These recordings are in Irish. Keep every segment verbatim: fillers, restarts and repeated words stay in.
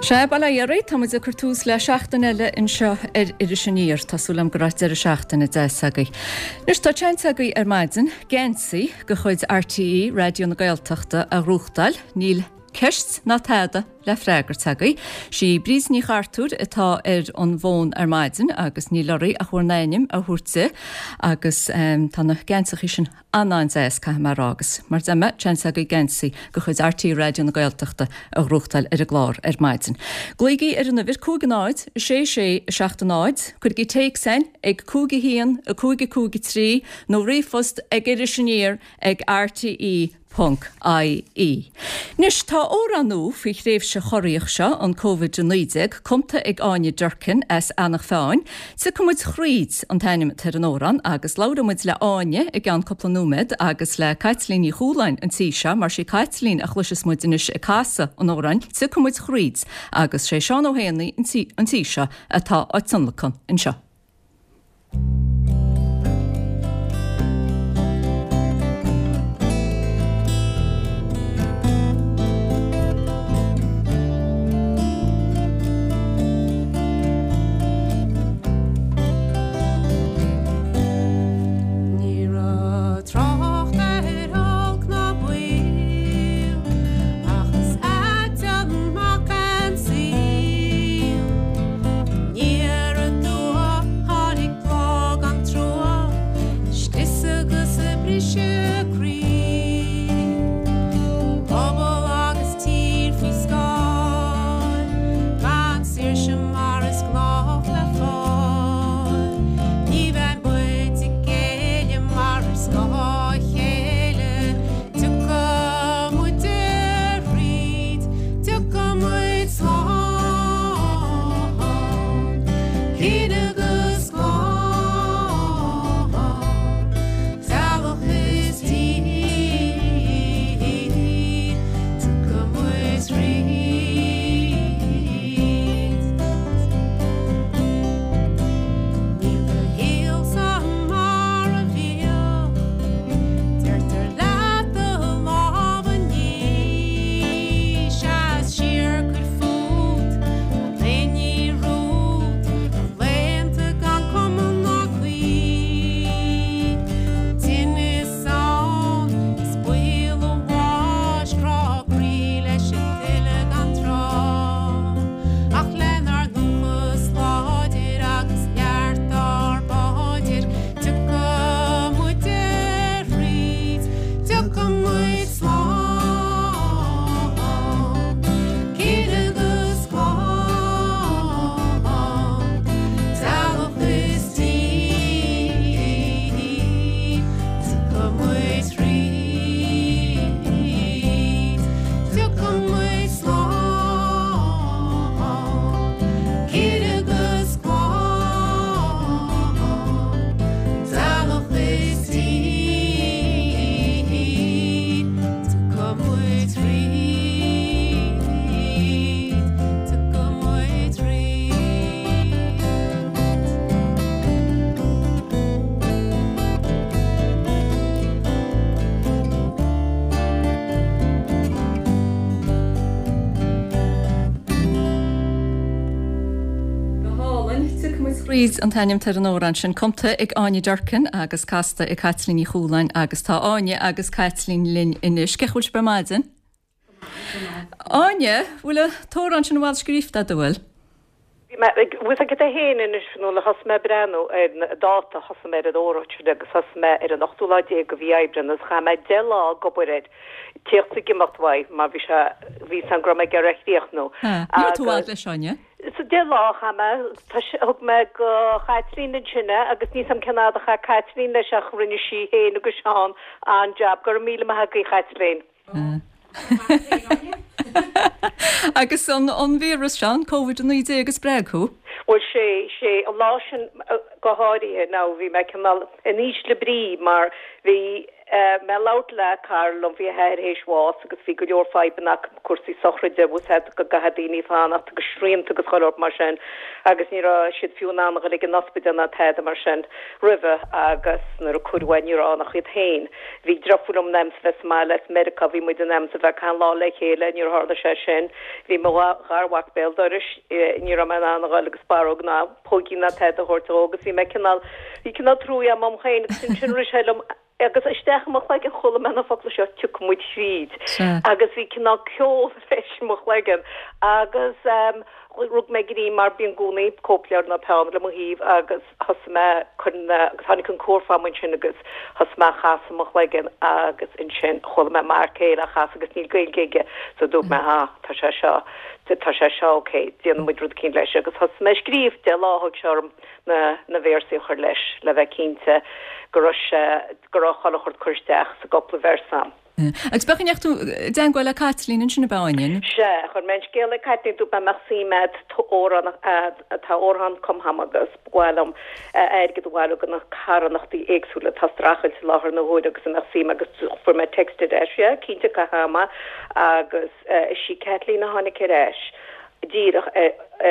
Sea, bail ó Dhia oraibh, tá muid ag cur tús le seachtain eile anseo ar Iris Aniar. Tá súil agam go raibh deireadh seachtaine deas agaibh. Anois tá seans agaibh ar maidin geansaí de chuid RTÉ Raidió na Gaeltachta a ghnóthachtáil. Níl ceist ná tada le freagairt agaibh. Sí Bríd Ní Chartúir atá ar an bhfón ar maidin agus níl oraibh ach bhur n-ainm a thabhairt di agus um, tá na geansaithe sin an-an-deas caithfidh mé a rá agus mar deir mé seans agaibh geansaí de chuid RTÉ Raidió na Gaeltachta a ghnóthachtáil ar an gclár ar maidin. Glaoigí ar an uimhir cúig náid, sé sé seacht náid, cuirigí téacs chugainn ag cúig a haon a cúig a cúig a trí nó ríomhphost ag Iris Aniar ag RTE ponc IE. Anois tá amhrán nua faoi thréimhse chorraíoch seo an Covid a naoi déag, cumtha ag Áine Durkin as Eanach Mheáin. Tiocfaidh muid thríd an t-ainm atá ar an amhrán agus labhróidh muid le Áine i gceann cúpla nóiméad agus le Caitlín Ní Chualáin an tí seo, mar sí Caitlín a chloiseas muid anois ag casadh an amhráin, Tiocfaidh muid thríd agus sé Seán Ó hÉanaí an tí seo atá á tionlacan anseo. Ní raibh trácht ar olc ná baol, ach is ait an mac an saol. Aniar aduaidh tháinig plá gan trua, scrios agus briseadh croí. Pobal agus tír faoi scáil, gan saoirse mar is gnách le fáil. Ní bheidh muid ag géilleadh mar ar scáth a chéile, tiocfaidh muid thríd, tiocfaidh muid slán, cine agus clann, teaghlach is tír, tiocfaidh muid thríd. Níl do shaolsa mar a bhíodh, deirtear leat do lámh a ní, seas siar cuir fút, gan aon ní romhat, laethanta gan cuma ná caoi. Tinneas ann is baol an bháis, crá croí leis an tuile gan tráth. Ach lenár ndúchas láidir agus neart ár bpaidir, tiocfaidh muid thríd, tiocfaidh muid slán, cine agus clann, teaghlach is tír, tiocfaidh muid thríd, tiocfaidh muid slán, cine agus clann, teaghlach is tír, tiocfaidh muid thríd, tiocfaidh muid thríd. Go hálainn, Tiocfaidh muid thríd an t-ainm ar an amhrán sin cumtha ag Áine Durkin agus casta ag Caitlín Ní Chualáin agus tá Áine agus Caitlín linn anois. Cén chaoi a bhfuil sibh ar maidin? Áine, bhfuil an t-amhrán sin i bhfad scríofa agat bhfuil? Bhí mé ag bhfuil agat é féin anois nó thosaigh mé breathnú ar an dáta thosaigh mé ar an amhrán sin agus thosaigh mé ar an ochtú lá déag de mhí Aibreán agus chaith mé deich lá ag obair air. Tíocht ag imeacht uaidh mar bhí sé bhí san go raibh mé ag iarraidh a chríochnú. Ní raibh tú i bhfad leis Áine? Sa deich lá chaith mé tá sé- thug mé go Chaitlín ansin é agus níl a fhios agam cén fhad a chaith Caitlín leis ach rinne sí féin agus Seán an-jab go raibh míle maith agaibh Chaitlín. Agus an an víreas seo an Covid a naoi déag a spreag thú? Bhuel sé sé an lá sin uh, go háirithe ná bhí mé cineál in ísle brí mar bhí Mé ag labhairt le cara liom, bhí a hathair théis bháis agus bhí go leor fadhbanna acu, cúrsaí sochraide, bhfuil 's a'd go gcaithfidh daoine fanacht agus srianta agus chuile shórt mar sin agus ní raibh siad fiú in ann a dhul ag an ospidéal ná tada mar sin roimhe agus nuair a cuireadh é ní raibh ann ach iad féin. Bhí deirfiúr liom in ainm 's a bheith sa mbaile as Meiriceá, bhí muid in ainm 's a bheith achan lá le chéile, níor tharla sé sin. Bhí mo gharmhac béal dorais, ní raibh mé in ann a dhul agus barróg ná póigín ná tada a thabhairt dhó agus bhí mé cineál, bhí cineál trua agam dom féin agus ansin rith sé liom agus isteach i mo chloigeann chuala mé na focla seo tiocfaidh muid thríd agus bhí cineál ceol leis i mo chloigeann agus ehm rug mé greim mar bíonn i gcónaí cóipleabhar nó peann le mo thaobh agus thosaigh mé cur na agus tháinig an cór fam ansin agus thosaigh mé á chasadh i mo chloigeann agus ansin chuala mé m'fhear céile á chasadh agus níl Gaeilge aige so dúirt mé ah tá sé seo tá sé seo ok déanfaidh muid rud eicínt leis agus thosaigh mé ag scríobh deich lá a thóg sé orm na na véarsaí a chur leis le bheith cinnte go raibh sé go raibh chuile shórt curtha isteach sa gcúpla véarsa. Agus b'é an chaoi a ndeachaigh tú i dteangmháil le Caitlín ansin ab ea, Áine? Sea, chuir mé an scéal ag Caitlín, dúirt mé an mbeadh suim a'd amhrán tá amhrán cumtha a'm agus ba mhaith liom airgead a bhailiú do na carthanachtaí éagsúla atá ag streachailt i láthair na huaire agus an mbeadh suim agus fuair mé text ar ais, yeah, cinnte caithfidh mé agus is í Caitlín a tháinig ar ais díreach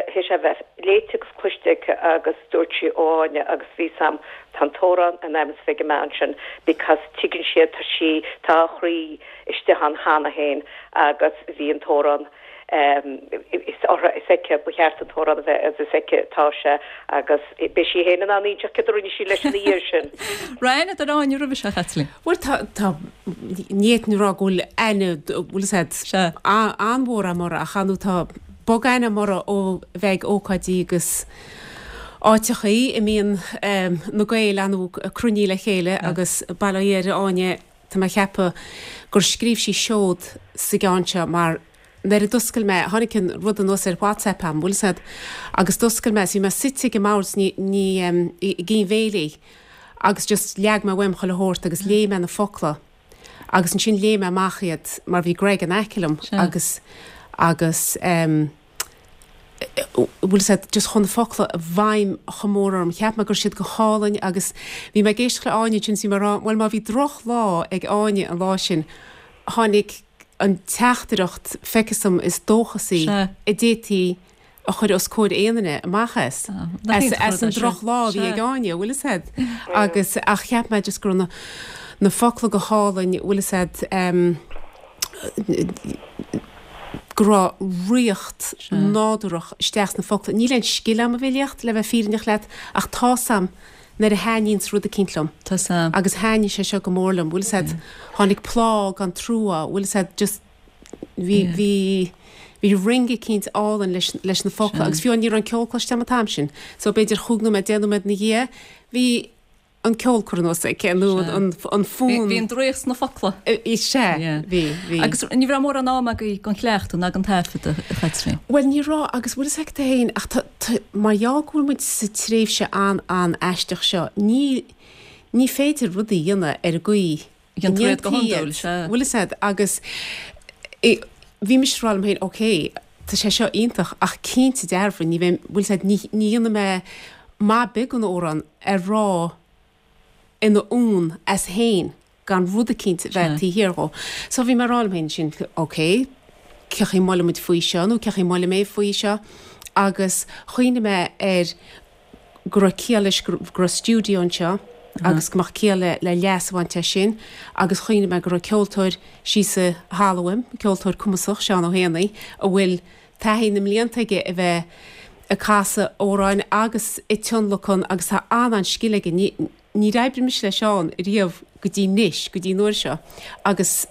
théis é a bheith léite agus cloiste aici agus dúirt sí ó Áine agus bhí 's a'm tá an t-amhrán in ainm is a bheith ag an mbean sin because tuigeann sí tá sí tá a chroí istigh ann cheana féin agus bhí an t-amhrán is uirthi is aici ba cheart an t-amhrán a bheith agus is aici atá sé agus beidh sí féin in ann inseacht céard a rinne sí leis ina dhiaidh sin. Raibh aithne a'd ar Áine roimhe seo, a Chaitlín? Bhuel tá tá ní fhéadfainn a rá go bhfuil aithne bhfuil 'fhios a'd Sea. an-mhór a'm uirthi ach ar ndóigh tá bogaithne a'm uirthi ó bheith ag ócáidí agus áiteachaí a mbíonn na Gaeil ar ndóigh cruinnithe le chéile agus bail ó Dhia ar Áine tá mé a cheapadh gur scríobh sí seod sa gceann seo mar nuair a d'oscail mé, tháinig an rud anuas ar WhatsApp a'm, bhfuil 'fhios a'd, agus d'oscail mé, 's bhí mé suite ag an mbord ní, ní, i gcinn bhéilí agus just leag mé uaim chuile shórt agus léigh mé na focla agus ansin léigh mé amach iad mar bhí Greg in aice liom agus, agus em, bhfuil 'fhios a'd, just chuaigh na focla i bhfeidhm chomh mór orm, cheap mé go raibh siad go hálainn agus bhí mé ag éisteacht le Áine ansin 's bhí mé ag rá, bhuel má bhí droch lá ag Áine an lá sin, tháinig an teachtaireacht feictear dom is dóchasaí a d'fhéadfaí a chur os comhair aon duine amach as, as an drochlá a bhí ag Áine, bhfuil 'fhios a'd? Agus, ach cheap mé just go raibh na, na focla go hálainn, bhfuil 'fhios a'd, go raibh ríocht nádúrach isteach sna focla. Níl aon scil a'm i bhfilíocht, le bheith fírinneach leat, ach tá's a'm nuair a thaitníonns rud eicínt liom. Tá's a'm. Agus thaitnigh sé seo go mór liom, bhfuil 'fhios a'd, tháinig plá gan trua, bhfuil 'fhios a'd, just bhí, bhí, bhí ring eicínt álainn leis, leis na focla agus fiú ní raibh an ceol cloiste a'm an t-am sin, so b'fhéidir chúig nóiméad, deich nóiméad ina dhiaidh, bhí an ceol curtha anuas aici nó an, an fonn. Bhí an draíocht sna focla. Sea, bhí, bhí. Agus ní raibh mórán ama agaibh don chleachtadh ná don taifeadadh, a Chaitlín. Bhuel, ní raibh, agus bhfuil 'fhios agat féin, ach tá, tá, mar gheall go bhfuil muid sa tréimhse an-an-aisteach seo, ní, ní féidir rudaí a dhéanamh ar an gcaoi a ndéantar iad go hiondúil, sea. Bhfuil 'fhios a'd, agus bhí mise ag rá liom féin, ok, tá sé seo iontach, ach cinnte dearfa, ní bheidh, bhfuil 'fhios a'd, ní, ní dhéanfaidh mé maith beag den amhrán a rá ina fhonn as féin gan rud eicínt a bheith taobh thiar dhó. So bhí mé ag rá liom féin sin, ok, cén chaoi a mbuailfidh muid faoi seo nó cén chaoi a mbuailfidh mé faoi seo agus chuimhnigh mé ar go raibh ciall leis go raibh stiúideo anseo agus go mbeadh ciall le le leas a bhaint as sin agus chuimhnigh mé go raibh ceoltóir síos an halla uaim, ceoltóir cumasach, Seán Ó hÉanaí, a bhfuil taithí na mblianta aige a bheith ag casadh amhráin agus ag tionlacan agus tá an-an-scil aige. Ní, níor oibrigh mise le Seán riamh go dtí anois, go dtí an uair seo agus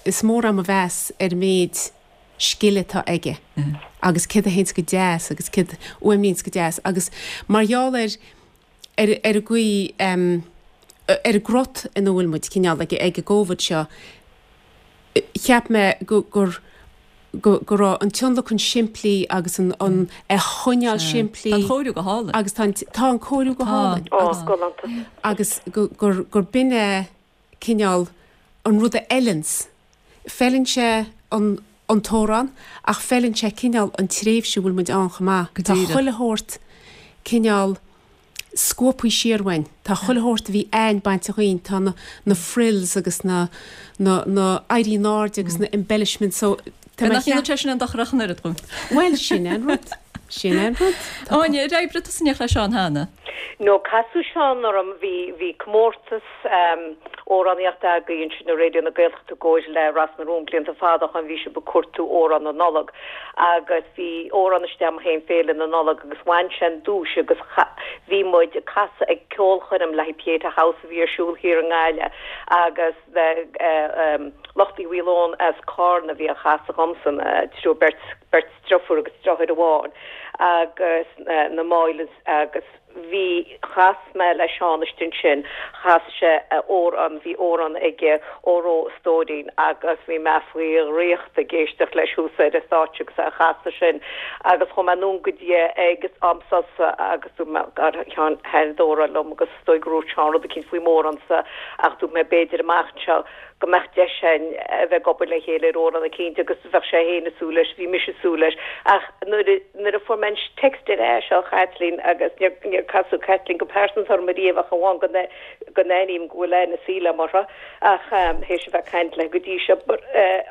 is mór a'm mo mheas ar an méid scil atá aige agus céard a théanns go deas agus céard a fhuaimníonns go deas agus mar gheall ar ar ar an gcaoi ar an gcrot ina bhfuil muid cineál ag ag an gCovid seo cheap mé go gur go go raibh an tionlacan simplí agus an an é a choinneáil simplí. Tá an chóiriú go hálainn. Agus tá an tá an cóiriú go hálainn. Ó, galánta. Agus go gur gur b'in é cineál an rud a fheileanns. Feileann sé an an t-amhrán ach feileann sé cineál an tréimhse a bhfuil muid ann chomh maith. Go Tá díreach. chuile shórt cineál scuabtha siar uainn. Tá chuile shórt a bhí a'ainn bainte dhínn, tá na na frills agus na na na éirí in airde agus na embellishments so tá mé Nach ndéanann sé sin aon dochar ach an oiread dhúinn. Bhuel, sin é an rud. Sin é an rud. Áine, ar oibrigh tusa in éineacht le Seán cheana? No, casadh Seán orm, bhí bhí comórtas amhránaíochta againn ansin i Raidió na Gaeltachta i gcomhair le Ros na Rún blianta fada ó shoin, bhí sibh ag cuartú amhrán na Nollag agus bhí amhrán istigh agam féin Féile na Nollag agus bhain sé an duais agus bhí muid ag casadh ag ceolchoirm le haghaidh Pieta House a bhí ar siúl thiar i nGaillimh agus lucht Uí Mhaoileoin as Carna a bhí á chasadh dhomsa, triúr beirt beirt deirfiúr agus deartháir amháin agus na Moylans agus bhí, chas mé le Seán istigh ansin, chas sé amhrán, bhí amhrán aige, Óró a Stóirín agus bhí mé faoi dhraíocht ag éisteacht leis thuas ar an stáitse agus é a chasadh sin agus chuaigh mé anonn go dtí é ag am sosa agus dúirt mé, a Sheáin, thaitin an t-amhrán liom agus is dóigh gur dhúirt Seán rud eicínt faoi m'amhránsa ach dúirt mé b'fhéidir amach anseo go mbeadh deis againn a bheith ag obair le chéile ar amhrán eicínt agus bheadh sé féin ag súil leis, bhí mise ag súil leis. Ach nuair a, nuair a fuair mé an text ar ais ó Chaitlín agus níor, níor casadh Caitlín go pearsanta orm ariamh ach amháin go, go n-aithním go bhfuil aithne saoil agam uirthi ach théis a bheith ag caint léi go dtí seo but eh,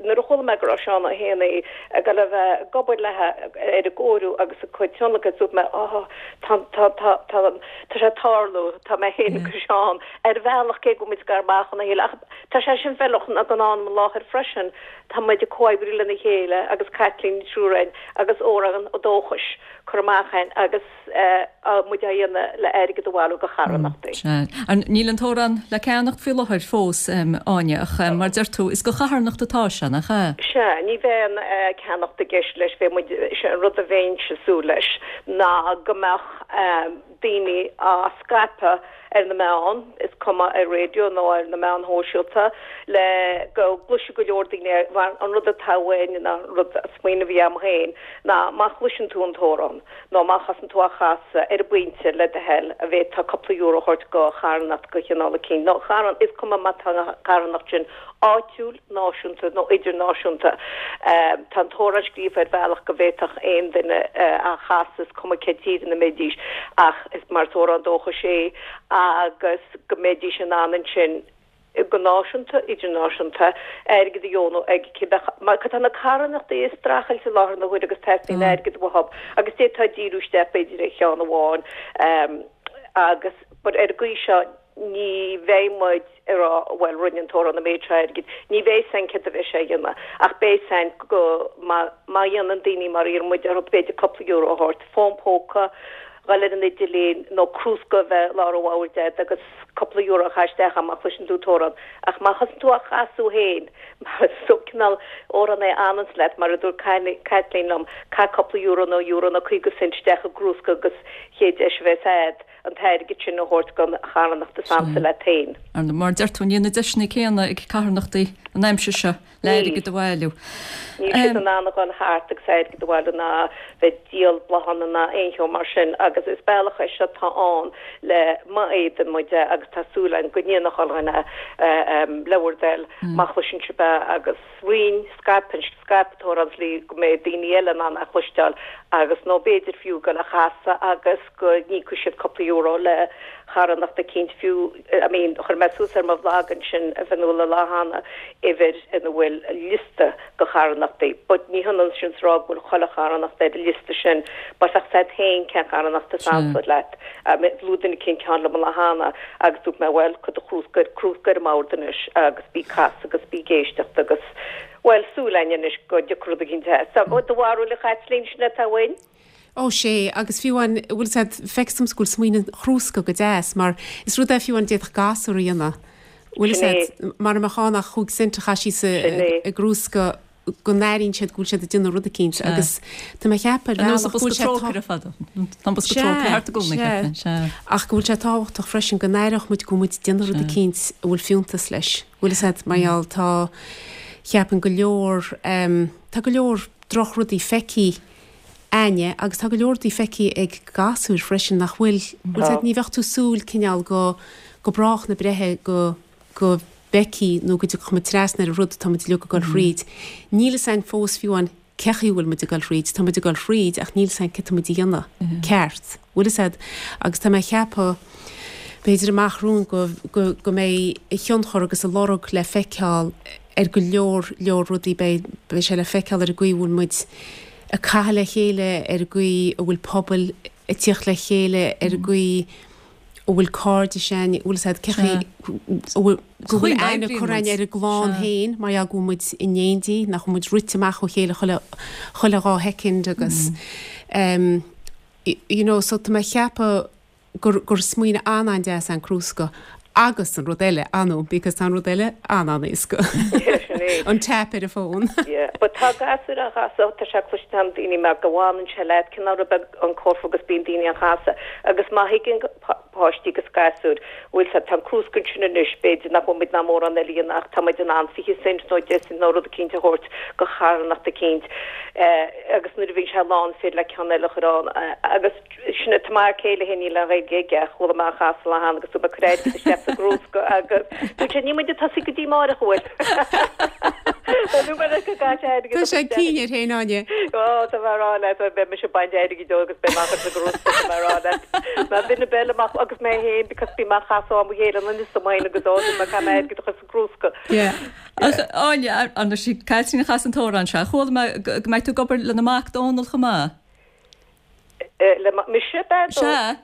nuair a chuala mé go raibh Seán Ó hÉanaí ag dul a bheith ag obair léi ar an gcóiriú agus a cuid tionlacan, dúirt mé, Á, tá, tá, tá, tá, tá sé ag tarlú, tá mé féin agus Seán ar bhealach, cé go bhfuil muid gar amach óna chéile, ach tá sé sin feiliúnach don am i láthair freisin, tá muid ag comhoibriú lena chéile agus Caitlín an triúr againn agus Amhrán Dóchais curtha amach againn agus muid á dhéanamh le airgead a bhailiú do charthanachtaí. Sea. Níl an t-amhrán le ceannacht faoi láthair fós, Áine, ach mar deir tú, is do charthanacht atá sé, nach ea? Sea, ní bheidh aon ceannacht i gceist leis, bheidh muid, sé an rud a bheinnse ag súil leis ná go mbeadh daoine á scaipeadh ar na meáin, is cuma ar raidió nó ar na meáin shóisialta, le go gcloisfidh go leor daoine é, mar an rud atá uainn, an rud, an smaoineamh a bhí agam féin, ná má chloiseann tú an t-amhrán, nó má thosaíonn tú á chasadh, ar an bpointe, le do thoil, an bhféadfá cúpla euro a thabhairt do charthanacht de chineál eicínt, nó charthan, is cuma má tá an charthanacht sin áitiúil, náisiúnta nó idirnáisiúnta. Tá an t-amhrán scríofa ar bhealach go bhféadfadh aon duine é a chasadh, is cuma cén tír ina mbeidís, ach is mar is amhrán dóchais é agus go mbeidís in ann ansin, go náisiúnta, idirnáisiúnta, airgead a dheonú ag cibé, mar tá na carthanachtaí ag streachailt i láthair na huaire agus teastaíonn airgead uathu agus d'fhéadfá díriú isteach b'fhéidir ar cheann amháin agus but ar an gcaoi seo ní bheidh muid ag rá bhuel rinne an t-amhrán an méid seo airgid, ní bheidh 'fhios a'inn céard a bheidh sé a dhéanamh ach beidh 'fhios a'inn go má má dhéanann daoine mar a iarrann muid orthu b'fhéidir cúpla euro a thabhairt, fón póca, dhul ar an idirlíon nó crúsca a bheith lár an bhoird agat agus cúpla euro a chaitheamh isteach ann má chloiseann tú an t-amhrán. Ach má thosaíonn tú á chasadh féin, mar is cineál amhrán é a fhananns leat, mar a dúirt Caitlín liom, caith cúpla euro nó euro nó caoga cent isteach i gcrúsca agus chéad deis a bheas a'd an t-airgead sin a thabhairt don charthanacht is ansa leat féin. Mar a deir tú, níl na deiseanna céanna ag carthanachtaí an aimsir seo. le airgead a bhailiú. Níl siad in ann a dhul thart agus airgead a bhailiú ná bheith ag díol bláthanna ná aon cheo mar sin agus is bealach é seo atá ann le má fhéadann muid é agus tá súil againn go ndéanfaidh chuile dhuine le bhur dtoil má chloiseann sibh é agus roinn, scaip, scaip an t-amhrán le go mbeidh daoine eile in ann é a chloisteáil agus nó b'fhéidir fiú dul á chasadh agus go n-íocfaidh siad cúpla euro le carthanacht eicínt fiú, I mean, chuir mé suas ar mo bhlag ansin, a Fhionnuala, lá cheana, uimhir ina bhfuil liosta de charthanachtaí, but ní hionann sin is a rá go bhfuil chuile charthanacht ar an liosta sin, but bheadh 's a'd féin cén charthanacht is ansa leat. I mean, luaigh duine eicínt ceann liom an lá cheana agus dúirt mé, bhuel, cuir do chrúsca, crúsca ar an mbord anois agus bí ag casadh agus bí ag éisteacht agus, bhuel, súil againn anois go dtiocfaidh rud eicínt as. So, do bharúil, a Chaitlín, sin atá uainn? Ó sea, agus fiú amháin, bhfuil 's a'd, feictear domsa go bhfuil smaoineamh an chrúsca go deas, mar is rud é fiú amháin a d'fhéadfadh gasúr a dhéanamh, bhfuil 's a'd, mara mbeadh ann ach chúig cent a chaitheamh síos i gcrúsca go n-airíonn siad go bhfuil siad ag déanamh rud eicínt agus tá mé ag ceapadh ar bhealach go bhfuil sé Sea, sea, ach go bhfuil sé tábhachtach freisin go n-aireodh muid go bhfuil muid ag déanamh rud eicínt a bhfuil fiúntas leis, bhfuil 's a'd, mar gheall tá, cheapfainn go leor, tá go leor drochrudaí feicthe a'inne agus tá go leor rudaí feicthe ag gasúir freisin nach bhfuil, bhfuil 's a'd, ní bheadh tú súil cineál go, go brách na breithe go, go bhfeicfí nó go dtiocfadh muid trasna ar an rud atá muid uilig ag dul thríd. Níl 'fhios a'inn fós fiú amháin cé chaoi a bhfuil muid ag dul thríd, tá muid ag dul thríd ach níl 's a'inn cad tá muid a dhéanamh ceart, bhfuil 'fhios a'd, agus tá mé a cheapadh b'fhéidir amach romhainn go, go, go mbeidh a thionchar agus a lorg le feiceáil ar go leor, leor rudaí, beidh, beidh sé le feiceáil ar an gcaoi a bhfuil muid ag caitheamh le chéile, ar an gcaoi a bhfuil pobail ag tíocht le chéile, ar an gcaoi a bhfuil cairde againn, bhfuil 'fhios a'd, cé chaoi a bhfuil, go bhfuil aithne curtha againn ar an gclann féin mar gheall go bhfuil muid in éindí, nach bhfuil muid rite amach ó chéile chuile, chuile dhá shoicind agus em you know so tá mé a cheapadh gur, gur smaoineamh an-an-deas é an crúsca agus an rud eile, anú, because tá an rud eile an-an-éasca. An tap ar an bhfón. Yeah, but tá gasúir á chasadh, tá sé cloiste a'm daoine mar go bhfanann sé leat, cineál rud beag an corp agus bíonn daoine á chasadh agus má thuigeann páistí agus gasúir, bhfuil 's a'd, tá an crúsca ansin anois, b'fhéidir nach bhfuil muid in ann mórán eile a dhéanamh ach tá muid in ann fiche cent nó deich cent nó rud eicínt a thabhairt go charthanacht eicínt agus nuair a bhíonn sé lán is féidir le ceann eile a chur ann agus Sin é, tá m'fhear céile féin, níl aon Ghaeilge aige ach chuala mé á chasadh lá cheana agus dúirt mé cuir airgead isteach sa gcrúsca agus dúirt sé níl muid ag tosaí go dtí amáireach an bhfuil? Nó mar go gcaithfidh sé airgead Tá sé ag cinneadh air féin, Áine. Ó, tá mé a rá leat, beidh mise ag baint airgid dó agus beidh mé á chur sa gcrúsca, tá mé a rá leat. Mar duine beile amach agus mé féin because bím á chasadh am a chéile an is am agus ó, dúirt mé caithfidh mé airgead a chur sa gcrúsca. Yeah. Ach Áine, ar ndóigh sí Caitlín a chas an t-amhrán seo, chuala mé go mbeidh tú ag obair lena mac Dónal chomh maith. Le mise, ab ea? Sea,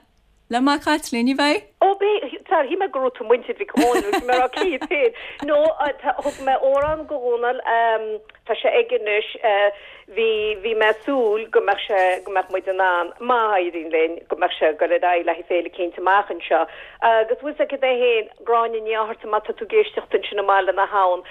le mac Chaitlín, ní bheidh? Ó, beidh, sorry, shíl mé go raibh tú muintir Mhic Dhónaill, bhí mé ag rá cé hiad féin. No, thug mé amhrán go Dhónal, tá sé aige anois, bhí, bhí mé ag súil go mbeadh sé, go mbeadh muid in ann, má éiríonn linn, go mbeadh sé ag dul ar aghaidh le haghaidh féile eicínt amach anseo. Agus bhfuil 's agat é féin, Gráinne Ní Fhátharta, má tá tú ag éisteacht ansin i mBaile na hAbhann,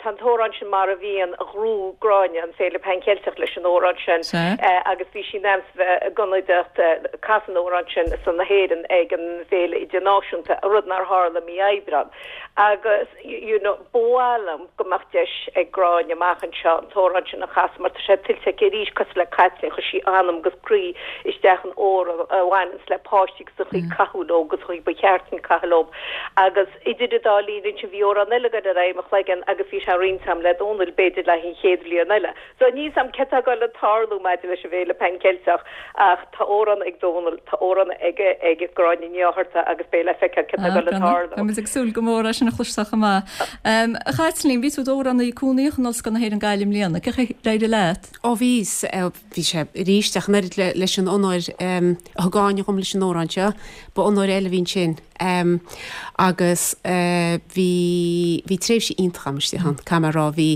tá an t-amhrán sin Mar a Bhíonn, ghnóthaigh Gráinne an Féile Pan Cheilteach leis an amhrán sin agus bhí sí in ainm is bheith ag ionadaíocht casadh an amhráin sin ar son na hÉireann ag an bhFéile Idirnáisiúnta, rud nár tharla mí Aibreán. Agus you know ba mhaith liom go mbeadh deis ag Gráinne amach anseo an t-amhrán sin a chasadh mar tá sé tuillte aici arís cosúil le Caitlín, chuir sí anam agus croí isteach in amhrán a bhaineanns le páistí agus an chaoi caitheamh leo agus an chaoi ba cheart dúinn caitheamh leo. Agus idir an dá linn ansin bhí amhrán eile ag dul ar aghaidh i mo chloigeann agus bhí sé á roinnt agam le Dónal b'fhéidir le haghaidh an chéad bhliain eile. So níl 's a'm céard tá ag dul a tarlú maidir leis an bhFéile Pan Ceilteach ach tá amhrán ag Dónal, tá amhrán ag ag Gráinne Ní Fhátharta agus beidh le feiceáil céard tá ag dul a tarlú. Tá muid ag súil go mór é sin a chloisteáil chomh maith. A Chaitlín, bhí tú i d'amhránaí cúnamhach in Ollscoil na hÉireann Gaillimh i mbliana. Cén chaoi ar éirigh leat? Ó bhí, bhí sé arís ach an oiread leis an onóir a thug Áine dhom leis an amhrán seo, ba onóir eile a bhí ansin. Agus bhí, bhí tréimhse iontach agam istigh ann, caithfidh mé a rá. Bhí